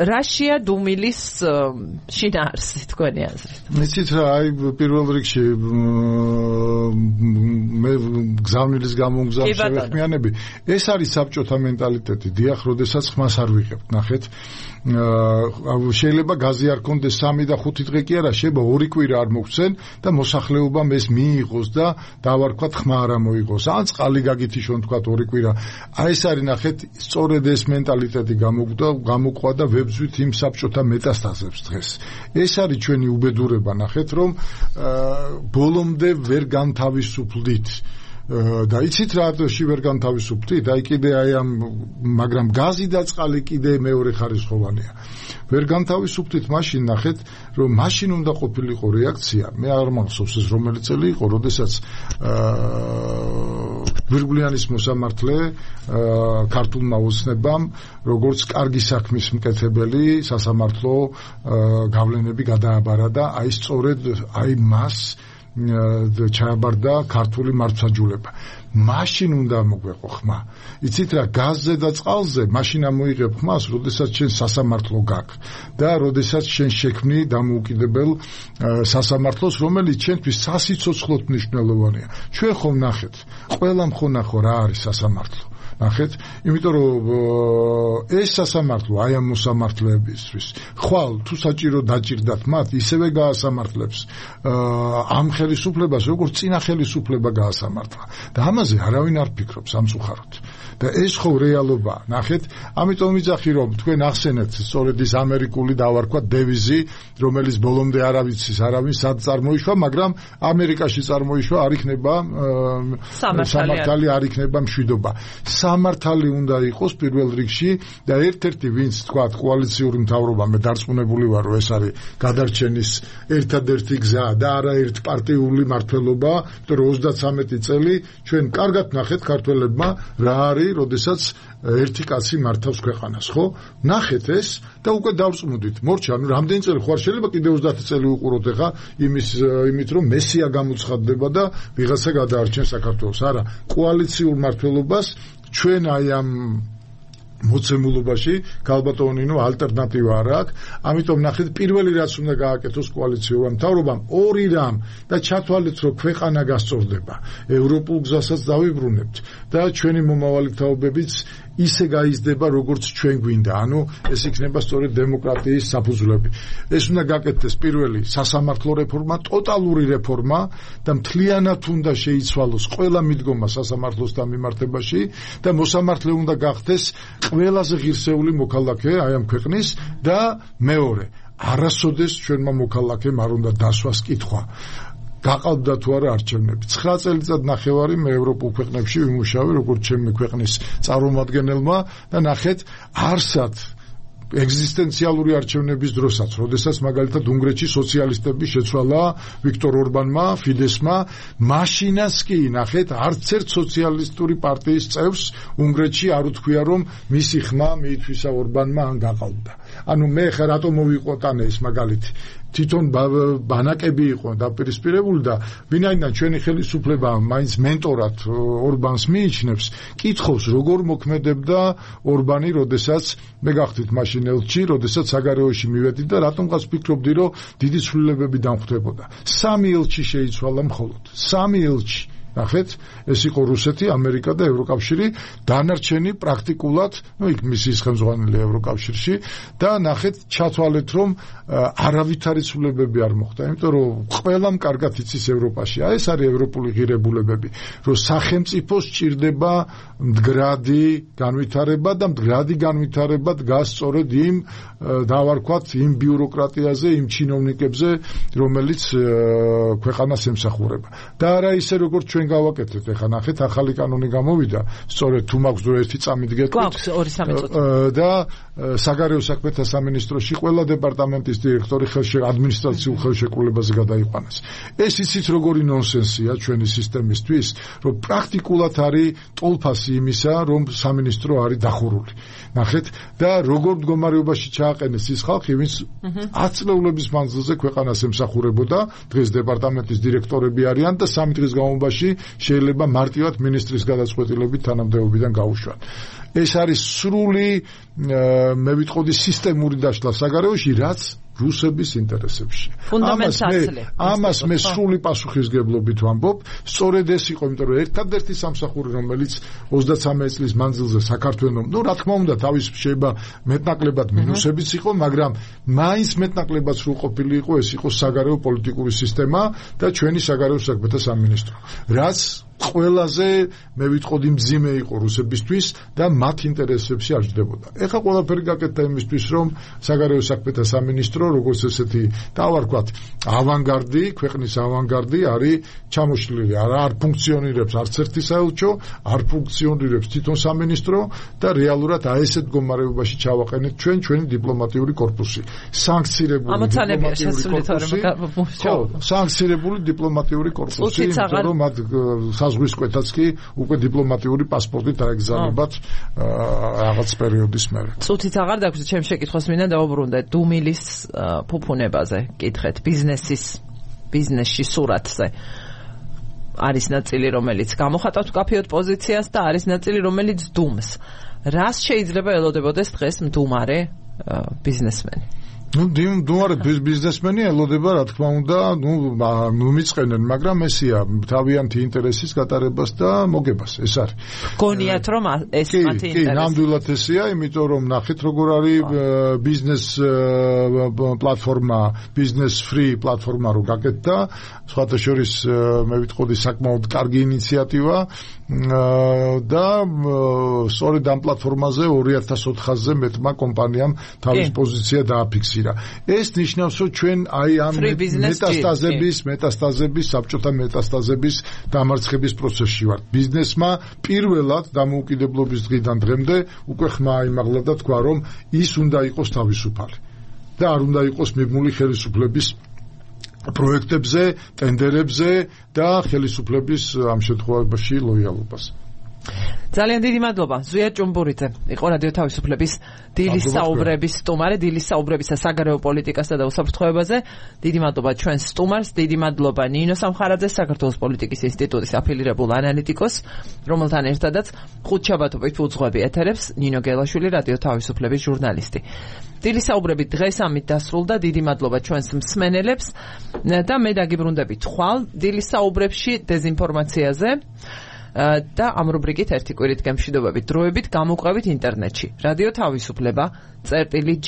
რაშია დუმილის შინაარსი თქვენი აზრით? იცით რა, აი პირველ რიგში მე გზავნილის გამომგზავნ შევეხმიანები. ეს არის საბჭოთა მენტალიტეტი. დიახ, როდესაც ხმას არ ვიღებთ, ნახეთ. შეიძლება გაზი არ კონდეს 3 და 5 დღე კი არა, შეიძლება 2 კვირა არ მოგცენ და მოსახლეობამ ეს მიიღოს და დავარქვათ ხმა არ მოიღოს. ან წყალი გაგითიშონ თქვათ 2 კვირა. აი ეს არის ნახეთ, სწორედ ეს მენტალიტეტი გამოყვა და ვებძვით იმ საბჭოთა მეტასტაზებს დღეს. ეს არის ჩვენი უბედურება, ნახეთ, რომ ბოლომდე ვერ განთავისუფლდით. და იცით რატოში ვერ განთავისუფლდით? აი კიდე აი ამ მაგრამ გაზი და წყალი კიდე მეორე ხარისხოვანია. ვერ განთავისუფლდით მაშინ, ნახეთ, რომ მაშინ უნდა ყოფილიყო რეაქცია. მე არ მახსოვს ეს რომელი წელი იყო, როდესაც გვირგვლიანის მოსამართლე ქართულმა ოცნებამ როგორც კარგი საქმის მკეთებელი სასამართლო გავლენები გადააბარა და აი სწორედ აი მას ჩააბარდა ქართული მართლმსაჯულება. მაშინ უნდა მოგვეყო ხმა. იცით რა, გაზზე და წყალზე მაშინ ამოიღებ ხმას, როდესაც შენ სასამართლო გაქვს და როდესაც შენ შექმნი დამოუკიდებელ სასამართლოს, რომელიც ჩვენთვის სასიცოცხლოდ მნიშვნელოვანია. ჩვენ ხომ ნახეთ, ყველამ ხო ნახო რა არის სასამართლო. ნახეთ, იმიტომ რომ ეს სასამართლო აი ამ მოსამართლეებისთვის ხვალ თუ საჭირო დაჭირდათ მათ, ისევე გაასამართლებს ამ ხელისუფლებას, როგორც წინა ხელისუფლება გაასამართლა. და ამაზე არავინ არ ფიქრობს სამწუხაროდ. და ეს ხო რეალობაა. ნახეთ, ამიტომ ვიძახი რომ თქვენ ახსენეთ სწორედ ის ამერიკული დავარქვა დევიზი, რომელიც ბოლომდე არავინ სად წარმოიშვა, მაგრამ ამერიკაში წარმოიშვა, არ იქნება სამართალი, არ იქნება მშვიდობა. სამართალი უნდა იყოს პირველ რიგში და ერთ-ერთი ვინც თქვა კოალიციური მთავრობა, მე დარწმუნებული ვარ რომ ეს არის გადარჩენის ერთადერთი გზა და არა ერთპარტიული მართლობა, იმიტომ რომ 33 წელი ჩვენ კარგად ნახეთ ქართველებმა რა არის, როდესაც ერთი კაცი მართავს ქვეყანას, ხო? ნახეთ ეს და უკვე დავწმუნდით. მორჩა, ანუ რამდენი წელი ხარ შეიძლება კიდე 30 წელი უყუროთ ახლა იმით რომ მესია გამოცხადდება და ვიღაცა გადაარჩენ საქართველოს. არა, კოალიციურ მართლობას ჩვენ აი ამ მოცემულობაში ქალბატონინო ალტერნატივა არ აქვს. ამიტომ ნახეთ, პირველი რაც უნდა გააკეთოს კოალიციურმა მთავრობამ, ორი რამ და ჩათვალეთ, რომ ქვეყანა გასწორდება. ევროპულ გზასაც დავიბრუნებთ და ჩვენი მომავალი თაობებიც ისე გაიზრდება, როგორც ჩვენ გვინდა. ანუ ეს იქნება სწორედ დემოკრატიის საფუძვლები. ეს უნდა გაკეთდეს პირველი სასამართლო რეფორმა, ტოტალური რეფორმა და მთლიანად უნდა შეიცვალოს ყველა მიდგომა სასამართლოსთან მიმართებაში და მოსამართლე უნდა გახდეს ყველაზე ღირსეული მოქალაქე აი ამ ქვეყნის და მეორე, არასოდეს ჩვენმა მოქალაქემ არ უნდა დასვას კითხვა. გაყავდა თუ არა არჩევნები. 9 წელიწად ნახევარი მე ევროპულ ქვეყნებში ვიმუშავე როგორც ჩემი ქვეყნის წარმომადგენელმა და ნახეთ არსად ეგზისტენციალური არჩევნების დროსაც, როდესაც მაგალითად უნგრეთში სოციალისტები შეცვალა ვიქტორ ორბანმა, ფიდესმა, მაშინაც კი ნახეთ არც ერთ სოციალისტური პარტიის წევრს უნგრეთში არ უთქვია რომ მისი ხმა მიითვისა ორბანმა ან გაყავდა. ანუ მე ხა რატო მოვიყვოტანე ეს მაგალითი? თვითონ ბანაკები იყო დაპირისპირებული და ვინაიდან ჩვენი ხელისუფლება მაინც მენტორად ორბანს მიიჩნევს, კითხავს როგორ მოქმედებდა ორბანი, როდესაც მე გახდით მაშინ ელჩი, როდესაც საგარეოში მივედი და რატომღაც ფიქრობდი რომ დიდი ცვლილებები დამხდებოდა. 3 ელჩი შეიცვალა მხოლოდ. 3 ელჩი. ნახეთ, ეს იყო რუსეთი, ამერიკა და ევროკავშირი, დანარჩენი პრაქტიკულად, იქ მისი ხელმძღვანელი ევროკავშირში და ნახეთ, ჩათვალეთ რომ არავითარი ცვლილებები არ მოხდა, იმიტომ რომ ყველამ კარგად იცის ევროპაში. ეს არის ევროპული ღირებულებები, რომ სახელმწიფოს სჭირდება მდგრადი განვითარება და მდგრადი განვითარება დგას სწორედ იმ დავარქვათ იმ ბიუროკრატიაზე, იმ ჩინოვნიკებზე, რომელიც ქვეყანას ემსახურება. და არა ისე როგორც ჩვენ გავაკეთეთ, ეხლა ნახეთ, ახალი კანონი გამოვიდა, სწორედ თუ მაქვს დრო ერთი წამით გეტყვით. გვაქვს 2-3 წუთი. და საგარეო საქმეთა სამინისტროში ყველა დეპარტამენტის დირექტორი ადმინისტრაციულ ხელშეკრულებაზე გადაიყვანეს. ეს იცით როგორი ნონსენსია ჩვენი სისტემისთვის, რომ პრაქტიკულად არის ტოლფასი იმისა, რომ სამინისტრო არის დახურული. ნახეთ, და როგორ მდგომარეობაში ჩააყენეს ის ხალხი, ვინც 10 წლეულების მანძილზე ქვეყანას ემსახურებოდა, დღეს დეპარტამენტის დირექტორები არიან და 3 დღის განმავლობაში შეიძლება მარტივად მინისტრის გადაწყვეტილებით თანამდებობიდან გაუშვან. ეს არის სრული მე ვიტყოდი სისტემური დაშლა საგარეოში, რაც რუსების ინტერესებში. ამას მე სრული პასუხისგებლობით ვამბობ, სწორედ ეს იყო, იმიტომ რომ ერთადერთი სამსახური, რომელიც 33 წლის მანძილზე საქართველოს, რა თქმა უნდა, თავის შეიძლება მეტნაკლებად მინუსებიც იყო, მაგრამ მაინც მეტნაკლებად სრულყოფილი იყო, ეს იყო საგარეო პოლიტიკური სისტემა და ჩვენი საგარეო საქმეთა სამინისტრო. რაც ყველაზე მე ვიტყოდი მძიმე იყო რუსებისთვის და მათ ინტერესებში აღждდებოდა. ეხლა ყველაფერი გაკეთდა იმისთვის, რომ საგარეო საქმეთა სამინისტრო, როგორც ესეთი დავარქვათ, ავანგარდი, ქვეყნის ავანგარდი არის ჩამოშლილი. არ ფუნქციონირებს არც ერთი საელჩო, არ ფუნქციონირებს თვითონ სამინისტრო და რეალურად ესეთ მდგომარეობაში ჩავაყენეთ ჩვენი დიპლომატიური корпуსი. სანქცირებული დიპლომატიური корпуსი, იმიტომ რომ მათ ზღვის კვეთაც კი უკვე დიპლომატიური პასპორტით დაეგზავნებათ რაღაც პერიოდის მერე. წუთიც აღარ დაგვს ჩემს შეკითხვას მინდა დავუბრუნდე დუმილის ფუფუნებაზე კითხეთ ბიზნესში სურათზე არის ნაწილი რომელიც გამოხატავს კაფეოთ პოზიციას და არის ნაწილი რომელიც დუმს. რას შეიძლება ელოდებოდეს დღეს მდუმარე ბიზნესმენი? დუმარე ბიზნესმენი ელოდება, რა თქმა უნდა, მიწყენენ, მაგრამ ესია თავიანთი ინტერესის გატარებას და მოგებას, ეს არის. გონიათ რომ ეს მათი ინტერესი. ნამდვილად ესია, იმიტომ რომ ნახეთ როგორ არის ბიზნეს პლატფორმა, ბიზნეს ფრი პლატფორმა რო გაკეთდა, სხვათა შორის მე ვიტყოდი საკმაოდ კარგი ინიციატივა და სწორედ ამ პლატფორმაზე 2004-ზე მეტმა კომპანიამ თავის პოზიცია დააფიქსირა. ეს ნიშნავს, რომ ჩვენ აი ამ მეტასტაზების, საბჭოთა მეტასტაზების დამარცხების პროცესში ვართ. ბიზნესმა პირველად დამოუკიდებლობის დღიდან დღემდე უკვე ხმა აიმაღლა და თქვა, რომ ის უნდა იყოს თავისუფალი და არ უნდა იყოს მიბმული ხელისუფლების პროექტებზე, ტენდერებზე და ხელისუფლების ამ შემთხვევაში ლოიალობას. ძალიან დიდი მადლობა ზვია ჭუმბურიძე იყო რადიო თავისუფლების დილის საუბრების სტუმარი, დილის საუბრებისა საგარეო პოლიტიკასა და უსაფრთხოებაზე. დიდი მადლობა ჩვენს სტუმარს, დიდი მადლობა ნინო სამხარაძეს, საქართველოს პოლიტიკის ინსტიტუტის აფილირებულ ანალიტიკოს, რომელთან ერთადაც ხუთშაბათობით უძღვები ეთერებს ნინო გელაშვილი, რადიო თავისუფლების ჟურნალისტი. დილის საუბრები დღეს ამით დასრულდა. დიდი მადლობა ჩვენს მსმენელებს და მე დაგიბრუნდებით ხვალ დილის საუბრებში დეზინფორმაციაზე და ამ რუბრიკით ერთი კვირით გემშვიდობებით დროებით გამოყვებით ინტერნეტში. რადიო თავისუფლება წერტილი G.